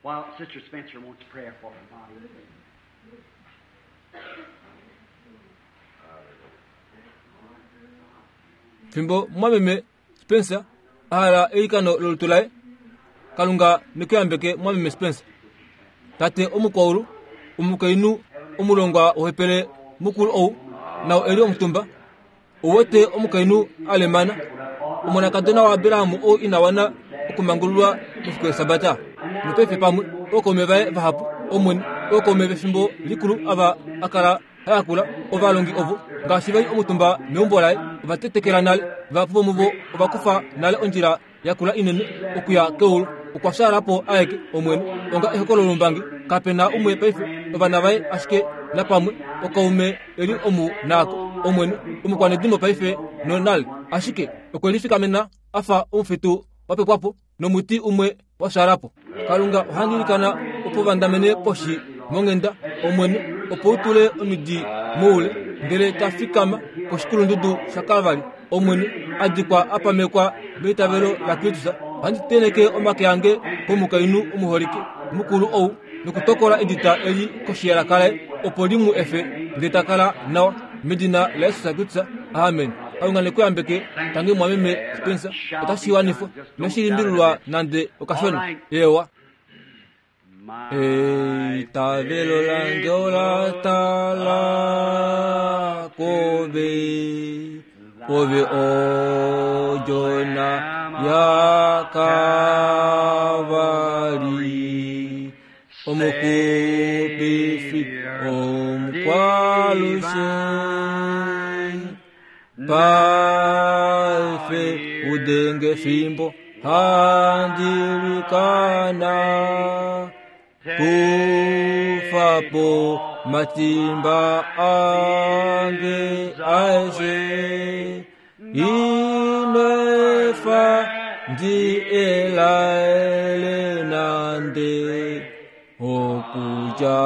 While Sister Spencer wants prayer for her body. Fimbo mwameme Spencer ahala eilikano lolutu laye. Kalunga nekuyambeke mwameme Spencer. Tate omukwaulu, omukainhu omulongwa wohepele mukulu ou nao eli omutumba. Ouwete omukainhu alemana, omonakadona waAbraham ou ina wana okumangululwa mefiku lEshabata. Nopaife pamwe ookaume vaye vahapu, Omwene, ookaume vefimbo likulu ava a kala hayakula ovalongi ovo ngaashi vali omutumba meumbo laye, ova tetekela nale. Vahapu vomuvo ova kufa nale ondjila yakula inene okuya keulu. Okwa fyaala po aeke Omwene onga ehokololo lombangi. Kapena umwe paife, ovana vaye ashike napamwe okaume eli omu naako Omwene omukwanedimo paife nonale, ashike okwe lifikamena afa omufitu wapepwapo nomuti umwe wa fyaalapo. Kalunga ohandi ilikana opo vandamene poshi monghenda Omwene, opo u tule omidi moule ndele ta fikama koshikulundudu shaKalvari Omwene, a dikwa a pamekwa meitavelo laKristus. Ohandi tenheke omake ange komukainhu omuholike mukulu ou nokutokola edita eli koshi yelaka laye, opo li mu efe ndele ta kala nawa, medina laJesus Kristus, amen. Kalunga nekuyambeke. Tangi mwameme Spencer, otashi wanifwa inashi limbililwa nande okashona. Ewa. Eitavelo lange ola tala kove, ove odjona yaKalvari, omuxupifi omukwalushe. Paife udenge fimbo handilikana, kufapo matimba ange aeshe. Inefa ndi elaele nande okuja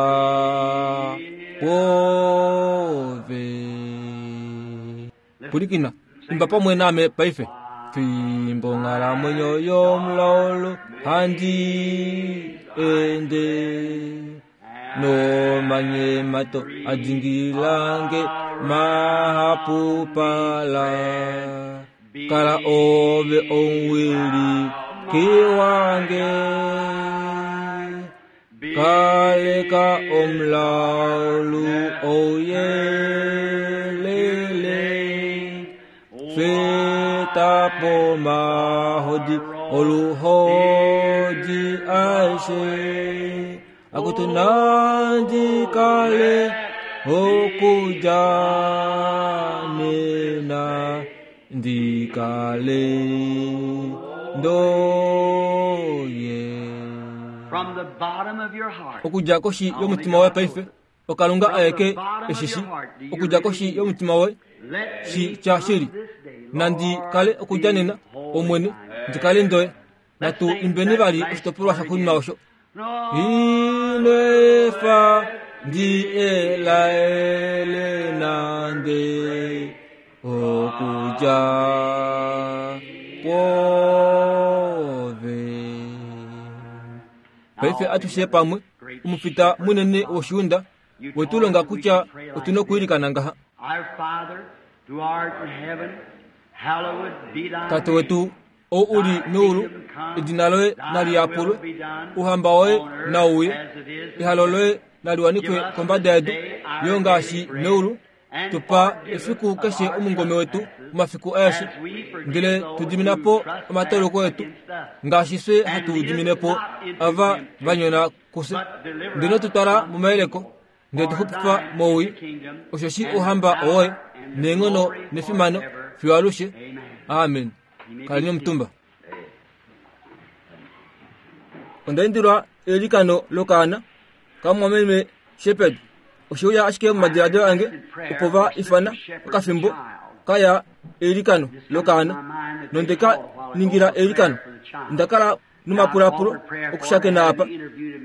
kwove. Pulikina, imba pamwe name paife. Fimbo nghalamwenyo yomulaulu handi ende, nomanyemato adingilange mahapupala. Kala ove omuwiliki wange, kaleka omulaulu ouyelele. Fetapo mahodi oluhodi aishe, akutu nandi kale okuja nena ndikale ndoye. From the bottom of your heart. Okudja koshi yomutima woye paife, oKalunga aeke eshishi. Okudja koshi yomutima woye shi tya shili, nandi kale okudja nena Omwene, ndikale ndoye. Natu imbeni vali oshitopolwa shaxuuninwa osho. Inefa ndi elaele nande okuja kwove. Paife atushe pamwe omufita munene woshiunda wetulonga kutya otuna okuilikana ngaha. Our Father, who art in heaven, hallowed be thy Tate name. wetu ou uli meulu, edina loye nali yapulwe, ouhamba woye nau uye, ehalo loye nali wanifwe kombada yedu yo ngaashi meulu. Tupa efiku keshe omungome wetu omafiku aeshe, ndele tu dimina po omatoloko etu ngaashi fye hatu dimine po ava va nyona kufye. Ndele ino tu twala momayeleko, ndele tu xupifa mowii, osheshi ouhamba owoye neenghono nefimano fiyo alushe. Amen. Kaleni omutumba. Onda indilwa eilikano lokaana kamwameme Shepherd. Oshiuya ashike momadiladilo ange opo va ifana okafimbo kaya eilikano lokaana nonde ka ningila eilikano. Onda kala nomapulapulo okushakena apa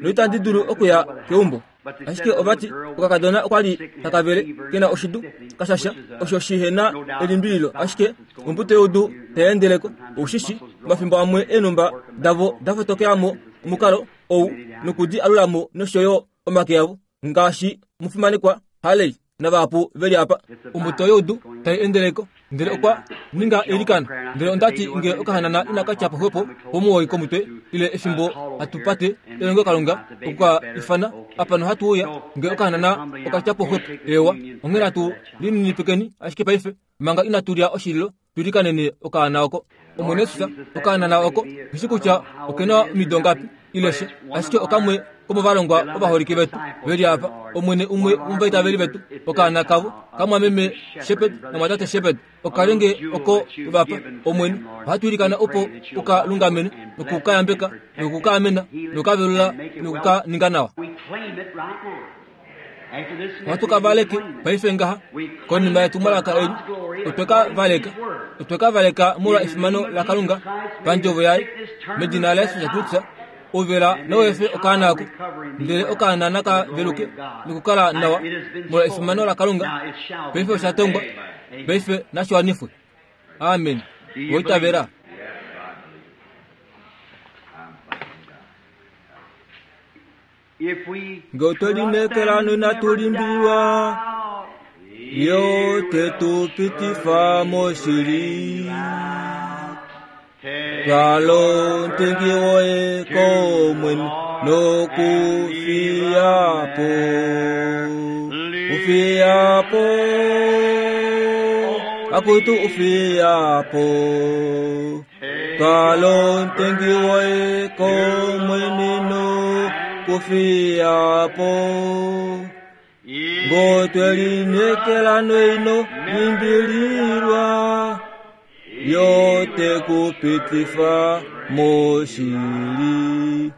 noitandi dulu okuya keumbo. Ashike ovati okakadona okwali takavele kena oshidu kashasha osho shihena elimbililo, ashike ombuto youdu tayendeleko oushishi omafimbo amwe eenhumba davo dafotokeyamo omukalo ou nokudi alulamo noshoyo omake avo ngaashi mufimanekwa Haley navahapu veli apa. Ombuto youdu tai endeleko ndele okwa ninga eilikano. Ndele ondati nge okahanana inaka tya po xwepo pomuwoi komutwe ile efimbo hatupate elongelokalunga okuka ifana apa nohatu uya nge okahanana okatya po xwepo. Ewa, onghee natu lininipikeni ashike paife manga inatu lya oshililo tuilikanene okaana oko. Omwene Yesus, okahanana oko ngishi kutya okena omido ngapi ile she, ashike okamwe komovalongwa ovaholike vetu veli apa. Omwene umwe womovaitaveli vetu okaana kavo kamwameme Shepherd namwatate Shepherd okalenge oko vapa. Omwene, ohatu ilikana opo uka lungamene nokukayambeka nokukaamena nokukavelula nokukaninga nawa. Ohatu ka valeke paife ngaha konima yetumwalaka eli. Otwe ka valeka, otwe ka valeka molwa efimano laKalunga pandjovo yaye medina laYesus Kristus. Ovela nowefe okaana ako, ndele okaana naka veluke nokukala nawa molwa efimano laKalunga. Paife osha tongwa, paife nashi wanifwe. Amen. Oitavela. Nge otwe lineekela noinatu limbililwa, yo te tu pitifa moshili. Twalo ntengi woye komwene nokufiyapo, ufiyapo, akutu ufiyapo. Twalo ntengi woye komwene nokufiyapo. Ngotwe lineekela noino limbililwa, yote kupitifa moshili.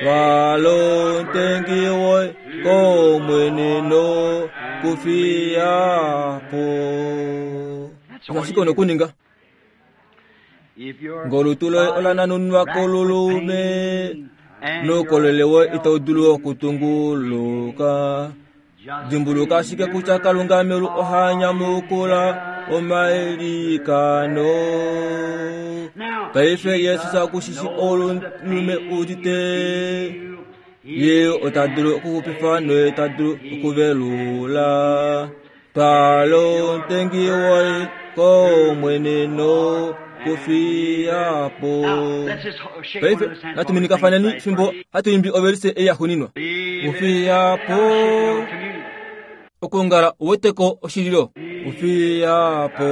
Twalo ntengi woye komwene nokufiyapo. Ashike onokuninga ngolutu loye olananunwa kolulume noukolele woye itau dulu okutunguluka. Dimbuluka ashike kutya Kalunga meulu oha nyamukula omailikano. Paife Yesus okushishi olulume udite, ye ota dulu okuxupifa noye ta dulu okuvelula. Twalo ntengi woye komwene nokufiyapo. Paife natu minikafaneni fimbo hatu imbi ovelise ei yaxuuninwa. Ufiyapo okungala uweteko oshililo. Ufiyapo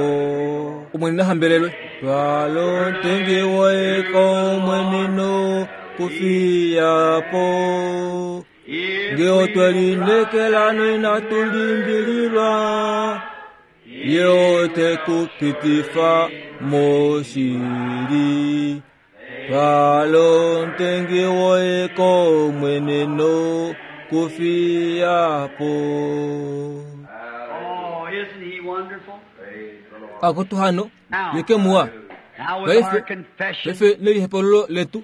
Omwene nahambelelwe. Twalo ntengi woye komwene nokufiyapo. Nge otwe lineekela noinatu limbililwa, ye ote kupitifa moshili. Twalo ntengi woye komwene nokufiyapo. Oh, isn't he wonderful? Akutu hano yeke muwa. Paife paife nelihepolulo letu,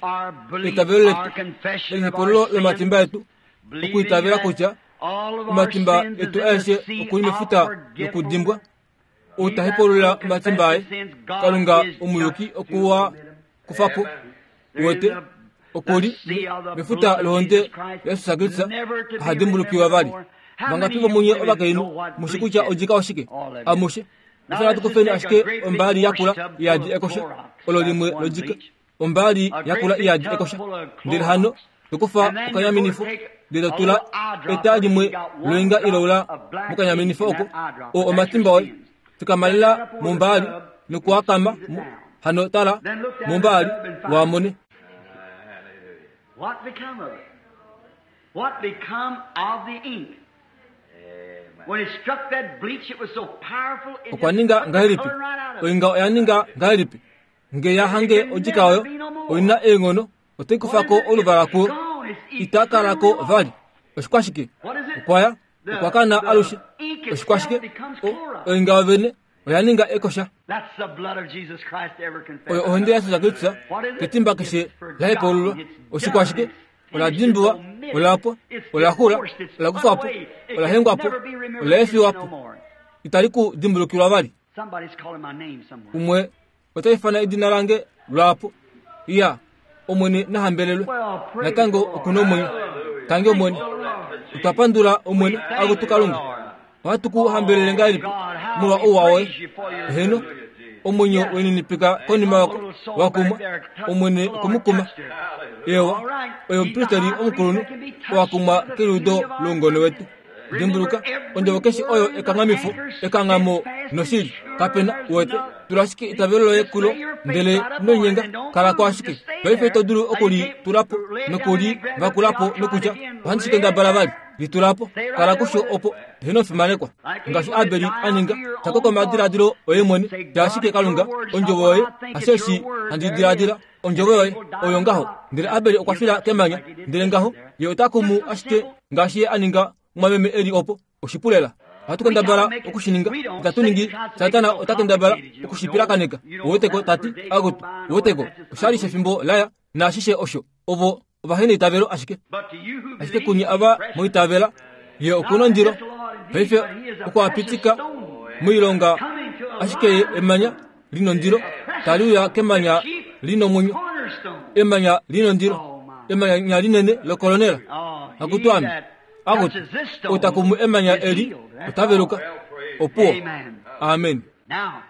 eitavelo letu, nelihepolulo lomatimba etu, okuitavela kutya omatimba etu aeshe okuli mefuta lokudimbwa. Ou ta hepulula omatimba aye, Kalunga omuyuki okuwa kufapo wete okuli mefuta lohonde yaYesus Kristus ahadimbulukiwa vali. Vangapi vomunye ovakainhu mushi kutya odjika oshike? Amushe. Ifana hatu kufeni ashike ombaali yakula iyadi ekosha, olo limwe lodjika, ombaali yakula iyadi ekosha. Ndele hano Tokufa okanyaminifo ndele to tula eta limwe loinga iloula mokanyaminifo oko o omatimba oye. Fikamalela mombaali nokuakama hano tala mombaali waamone. What become of it? What become of the ink? When it struck that bleach, it was so powerful. It Okwa ninga ngahelipi? Oinga oya ninga ngahelipi? Nge ya hange odjika oyo oina eenghono otai kufako oluvala kuo itakalako vali. Oshikwashike? Okwaya okwakana alushe. Oshikwashike? Oinga yovene oya ninga ekosha. That's the blood of Jesus Christ ever confessed. Oyo ohonde yaJesus Kristus ketimba keshe lahepaululwa. Oshikwashike? Ola dimbiwa, olapwa, olaxula, olakufwapo, olahengwapo, olaefiwapo. Itali ku dimbulukilwa vali. Somebody's calling my name somewhere. Umwe otaifana edina lange lwapo. Iya, Omwene nahambelelwe. Natango okuna omwenyo. Tange Omwene. Otwapandula Omwene akutu Kalunga. Ohatu ku hambelele ngahelipi molwa ouwa woye. Heno, omwenyo weninipika konima wako wakumwa Omwene okumukuma. Ewa, oyo omupristeli omukulunhu owakumwa keliudo loungone wetu. Dimbuluka, ondjovo keshe oyo ekanghamifo, ekanghamo noshili. Kapena uwete, tula ashike itavelo loye kulo, ndele ino kalako ashike. Paife ito dulu okulitulapo nokulivakulapo nokutya ohandi shi kendabala vali. Litulapo, kala kusho opo heno fimanekwa. Ngaashi Abeli a ninga, shako komadiladilo oye mwene, tya ashike Kalunga, ondjovo yoye, hasheshi handi diladila, ondjovo yoye oyo ngaho. Ndele Abeli okwa fila kemanya, ndele ngaho ye ota kumu ashike ngaashi ye a ninga mwameme eli opo oshipulela. Ohatu kendabala okushininga, itatu ningi. Satana ota kendabala okushipilakaneka. Uweteko tati akutu, uweteko oshali shefimbo laya naashishe osho. Ovo ovahena itavelo ashike. Ashike kunye ava moitavela ye okuna ondilo. Paife okwapitika moilonga ashike ye emanya linondilo tali uya kemanya linomwenyo. Emanya linondilo, emanya linene lokolonela. Akutu ame akuti otakumu emanya eli otaveluka. Opuo. Amen. Now,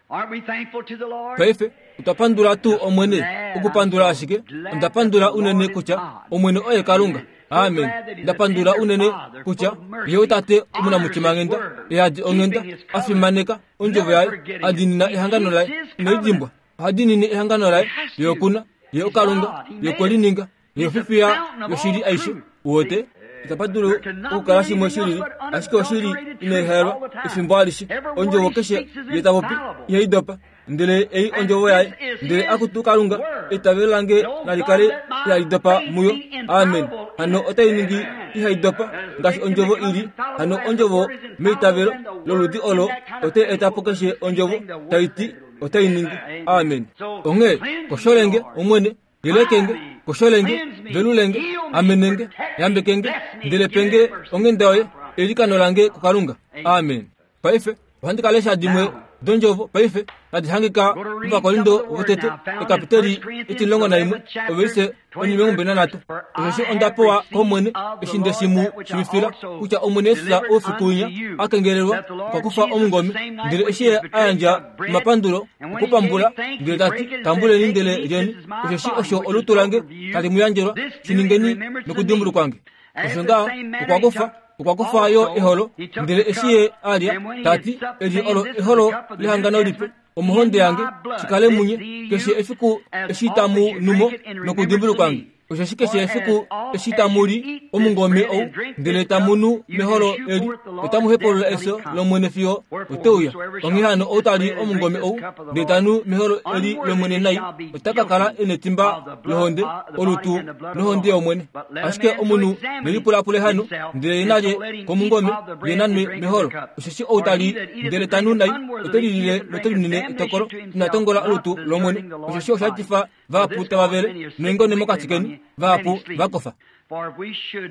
aren't we thankful to the Lord? Paife otwapandula tuu Omwene okupandula ashike. Ondapandula unene kutya Omwene oye Kalunga. Amen. Ndapandula unene kutya ye otate omunamutimangenda, eyadi onghenda, afimaneka ondjovo yaye, adinina ehangano laye, inoidimbwa. Ohadinine ehangano laye, ye okuna, ye okalunga, ye okwelininga, ye ofifiya yoshili aishe. Uwete? Itapa dulu okukala shimwe shilili, ashike oshili inaihelwa efimbo alishe. Ondjovo keshe ye tapopi ihai dopa, ndele ei ondjovo yaye. Ndele akutu Kalunga, eitavelo lange nali kale ihali dopa muyo. Amen. Hano otai ningi ihai dopa ngaashi ondjovo ili. Hano ondjovo meitavelo loludi olo otai eta po keshe ondjovo tai ti otai ningi. Amen. Onghee kosholenge Omwene, yelekenge, kosholenge, velulenge, amenenge, yambekenge, ndele penge onghenda yoye, elikano lange kuKalunga. Amen. Paife ohandi ka lesha dimwe dondjovo paife tadi hangika muVakorindo votete ekapiteli etilongo naimwe ovelise onimilongo nhatu. Osheshi onda pewa kOmwene eshi nde shi mu shivifila kutya Omwene Jesus oufiku winya a kengelelwa okwa kufa omungome, ndele eshi ye a yandja omapandulo okupambula, ndele tati, tambuleni ndele lyeni, osheshi osho olutu lange tali mu yandjelwa, shi ningeni nokudimbulukwange. Osho ngaho okwa kufa okwa kufa yo eholo, ndele eshi ye alya tati, eli olo eholo lehangano lipe omohonde yange, shikale munye keshe efiku eshi tamu numo nokudimbulukwange. Osheshi keshe efiku eshi tamu li omungome ou, ndele tamu nu meholo eli, otamu hepulula efyo lOmwene fiyo oteuya. Onghee hano ou tali omungome ou, ndele tanu meholo eli lOmwene nai, ota ka kala e netimba lohonde, olutu nohonde yOmwene. Ashike omunhu nelipulapule hano, ndele ye nalye komungome, ye nanwe meholo. Osheshi ou tali ndele tanu nai, ote lilile note linine etokolo, ina tongola olutu lOmwene. Osheshi osha etifa vahapu tava vele noingone mokati keni, vahapu vakofa.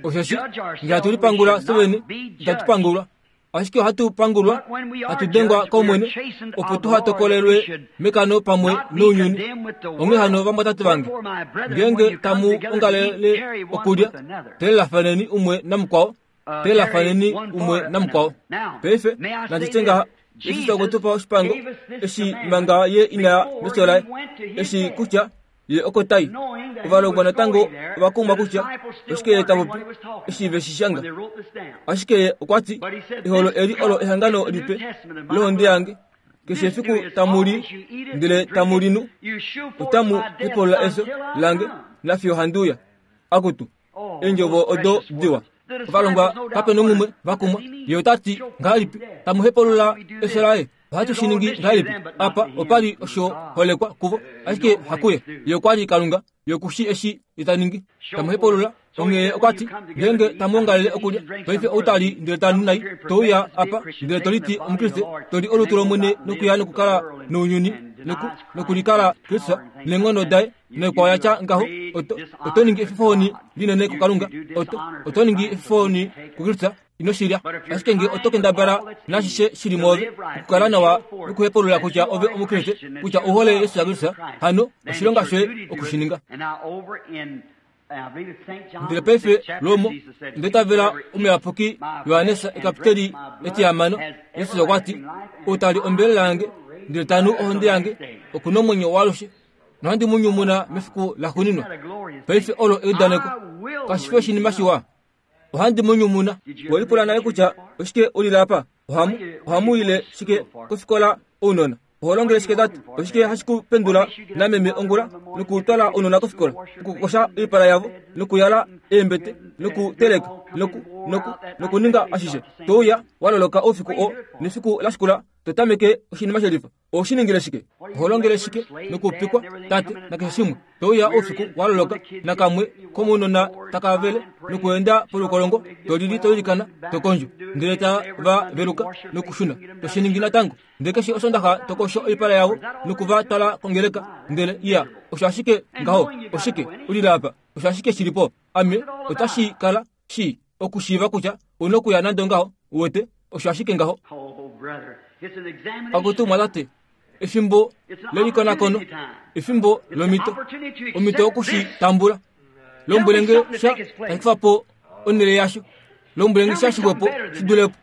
Osheshi ngele hatu lipangula fye itatu pangulwa, ashike ohatu pangulwa, hatu dengwa kOmwene, opo tuha tokolelwe mekano pamwe nounyuni. Onghee hano vamwatate vange, ngeenge tamu ongalele okulya, telelafaneni umwe namukwao, telelafaneni umwe namukwao. Paife nandi tye ngaha, Jesus okwe tu pa oshipango eshi manga ye inaya mefyo laye, eshi kutya Ye oko tai. Ovalongwa natango ovakumwa kutya oshike ye ta popi eshi ve shi shanga. Ashike ye okwa ti eholo eli olo ehangano lipe lohonde yange. Keshe efiku tamu li ndele tamu li nu, otamu hepolola efyo lange nafiyo handi uya. Akutu, eendjovo odo diwa. Ovalongwa kape nomumwe vakumwa. Ye ota ti ngahelipi tamu hepolola efyo laye? Ohatu shi ningi ngahelipi? Apa opa li osho holekwa kuvo, ashike hakuye. Ye okwa li Kalunga, ye okushi eshi ye ta ningi. Tamu hepolola. Onghee okwa ti ngeenge tamu ongalele okulya, paife ou ta li ndele ta nu nai, to uya apa ndele to liti Omukriste, to li olutu lOmwene nokuya nokukala nounyuni nokulikala Kristus neenghono daye noikwao ya tya ngaho, oto, oto ningi efifohoni linene kuKalunga, oto, oto ningi efifohoni kuKristus, ino shi lya. Ashike nge oto kendabala nashishe shili mwoove okukala nawa nokuhepulula kutya ove Omukriste, kutya u hole Jesus Kristus, hano oshilonga shoye okushininga. Ndele paife lomo ndetavela omuyapuki Johannes ekapiteli etihamano, Jesus okwa ti ou ta li ombelela yange ndele ta nu ohonde yange oku nomwenyo waalushe, nohandi mu nyumuna mefiku laxuuninwa. Paife olo eudaneko, kashi fi oshinima shiwa. Ohandi mu nyumuna. Welipula nale kutya oshike ulile apa? Ohamu ohamu ile shike kofikola ounona? Oho longele shike tate? Oshike hashi ku pendula nameme ongula nokutwala ounona kofikola, okukosha oipala yavo, nokuyala eembete, nokuteleka, noku noku nokuninga ashishe? Touya waloloka oufiku oo nefiku lashikula to tameke oshinima shelifa. Oho ningile shike? Oho longele shike nokupikwa tate nakeshe shimwe? Touya oufiku waloloka nakamwe komounona takavele nokuenda polukolongo, to lili to ilikana, to kondjo, ndele tava veluka nokushuna, to shi ningi natango. Ndele keshe osondaxa to kosho oipala yavo nokuva twala kongeleka, ndele iya osho ashike ngaho. Oshike ulile apa? Osho ashike shilipo. Ame otashi kala shi okushiiva kutya una okuya nande ngaho, uwete, osho ashike ngaho. Akutu mwatate, efimbo lelikonakono, efimbo lomito, omito okushitambula. Lombwelenge sha tashi po onhele yasho, lombwelenge sha shixwepo shidulepo.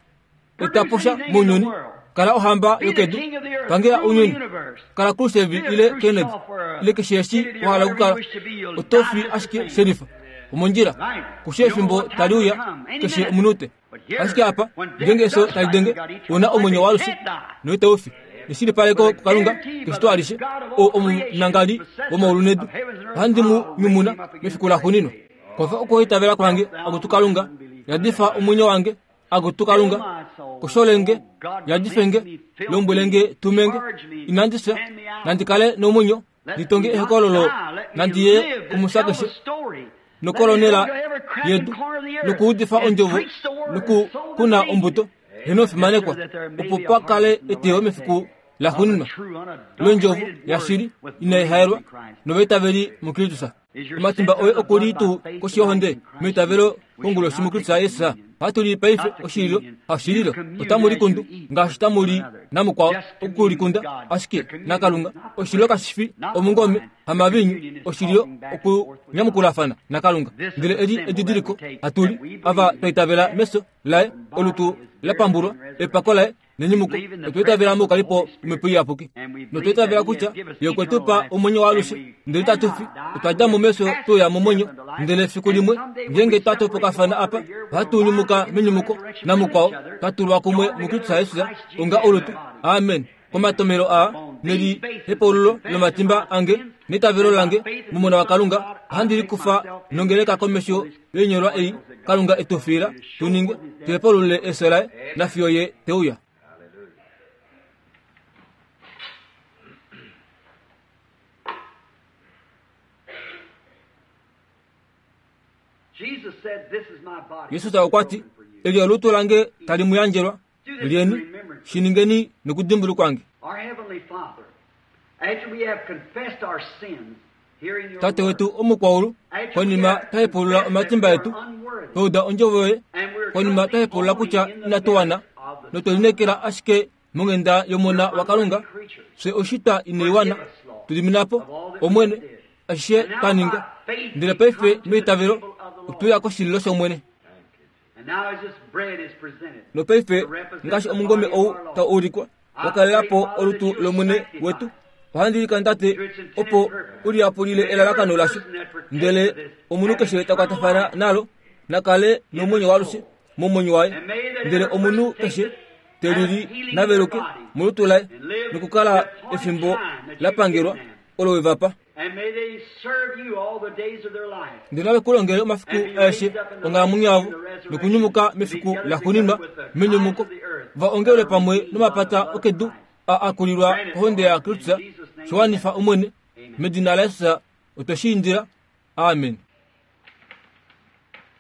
Etapo sha mounyuni, kala ohamba yokedu, pangela ounyuni, kala Khrushchev ile Kennedy ile keshe eshi wa hala okukala, oto fi ashike shelifa. Omondjila, kushe efimbo tali uya keshe omunute. Ashike apa, ngeenge efyo tali denge, una omwenyo waalushe noita ufi. Neshilipaleko kuKalunga keshito alishe, ou omunangali womaulu nedu, ohandi mu nyumuna mefiku laxuuninwa. Kwafa okuitavela kwange, akutu Kalunga, yadifa omwenyo wange, akutu Kalunga, kosholenge, yadifenge, lombwelenge, tumenge, inandi fya, nandi kale nomwenyo, nditonge ehokololo, nandi ye kumusakeshe nokolonela yedu, nokuudifa ondjovo, nokukuna ombuto, henofimanekwa, opo pa kale eteyo mefiku laxuuninwa londjovo yashili inai haelwa novaitaveli muKristus. Omatimba oye oku li tuu koshi yohonde meitavelo konguloshi muKristus Jesus. Ohatu li paife oshililo, hashililo, otamu likundu ngaashi tamu li namukwao okulikunda ashike naKalunga. Oshililo kashi fi omungome hamavinyu, oshililo okunyamukulafana naKalunga. Ndele eli edidiliko hatu li ava twa itavela mefyo laye, olutu la pambulwa, epako laye nenyumuko, otwa itavela moukalipo wOmhepo Iyapuki, notwa itavela kutya ye okwe tu pa omwenyo waalushe, ndele itatu fi. Otwa dja mo mefyo tweuya momwenyo, ndele efiku limwe ngeenge twa topokafana apa, ohatu nyumuka menyumuko namukwao, twa tulwa kumwe muKristus Jesus onga olutu. Amen. Komatomelo aa neli hepaululo lomatimba ange neitavelo lange mOmona waKalunga, ohandi likufa nongeleka komesho yoinyolwa ei Kalunga e tu fiila tu ninge, tu hepaulule efyo laye nafiyo ye te uya. Jesus okwa ti, eli olutu lange tali mu yandjelwa, lyeni, shi ningeni nokudimbulukwange. Tate wetu omukwaulu, konima twa hepulula omatimba etu, twa uda ondjovo yoye, konima twa hepulula kutya inatu wana, notwe lineekela ashike monghenda yOmona waKalunga, fye oshitwa inai wana, tu dimina po, Omwene, ashishe twa ninga. Ndele paife meitavelo otuya koshililo shOmwene. Nopaife ngaashi omungome ou tau ulikwa, wa kalela po olutu lOmwene wetu, Ohandi ilikana Tate opo u liyapulile elalakano lasho, ndele omunhu keshe ta kwatafana nalo na kale nomwenyo waalushe momwenyo waye, ndele omunhu keshe te lili na veluke molutu laye nokukala efimbo la pangelwa olo we va pa. And may they serve you all the days of their life. Ndele nave ku longele omafiku aeshe onghalamwenyo yavo nokunyumuka mefiku laxuuninwa menyumuko, va ongelwe pamwe nomapata okedu a akulilwa kohonde yaKristus. Shiwanifa Omwene, medina laJesus otwe shi indila, amen.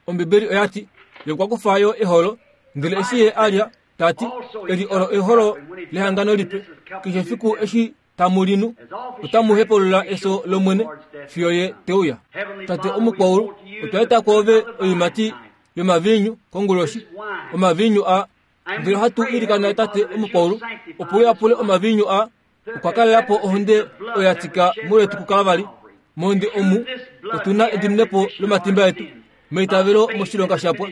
Ombibeli oya ti, ye okwa kufa yo eholo, ndele eshi ye a lya, ta ti, eli olo eholo lehangano lipe, keshe efiku eshi tamu linu, otamu hepulula efyo lOmwene fiyo ye te uya. Tate omukwaulu, otwa eta kwoove oiimati yomaviinyu konguloshi, omaviinyu a ndele ohatu ilikana Tate omukwaulu opo u yapule omaviinyu a okwa kalela po ohonde oyo ya tika molwetu kuKalvari. Mohonde omu otu na ediminepo lomatimba etu meitavelo moshilonga shapwa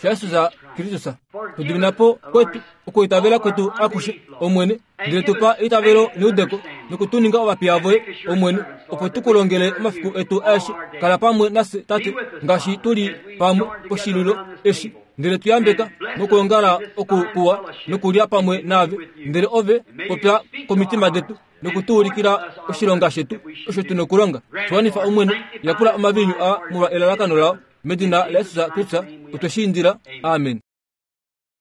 shaJesus Kristus. Tudimina po kwetu okuitavela kwetu akushe, Omwene, ndele tupa eitavelo neudeko nokutuninga ovapiya voye, Omwene, opo tu ku longele omafiku etu aeshe. Kala pamwe nafye, Tate, ngaashi tu li pamwe poshililo eshi, ndele tu yambeka mokwoongala oku kuwa nokulya pamwe naave, ndele ove popya komitima detu noku tu ulikila oshilonga shetu osho tu nokulonga. Shiwanifa Omwene, yapula omaviinyu a molwa elalakano lao, medina laJesus Kristus otwe shi indila, amen.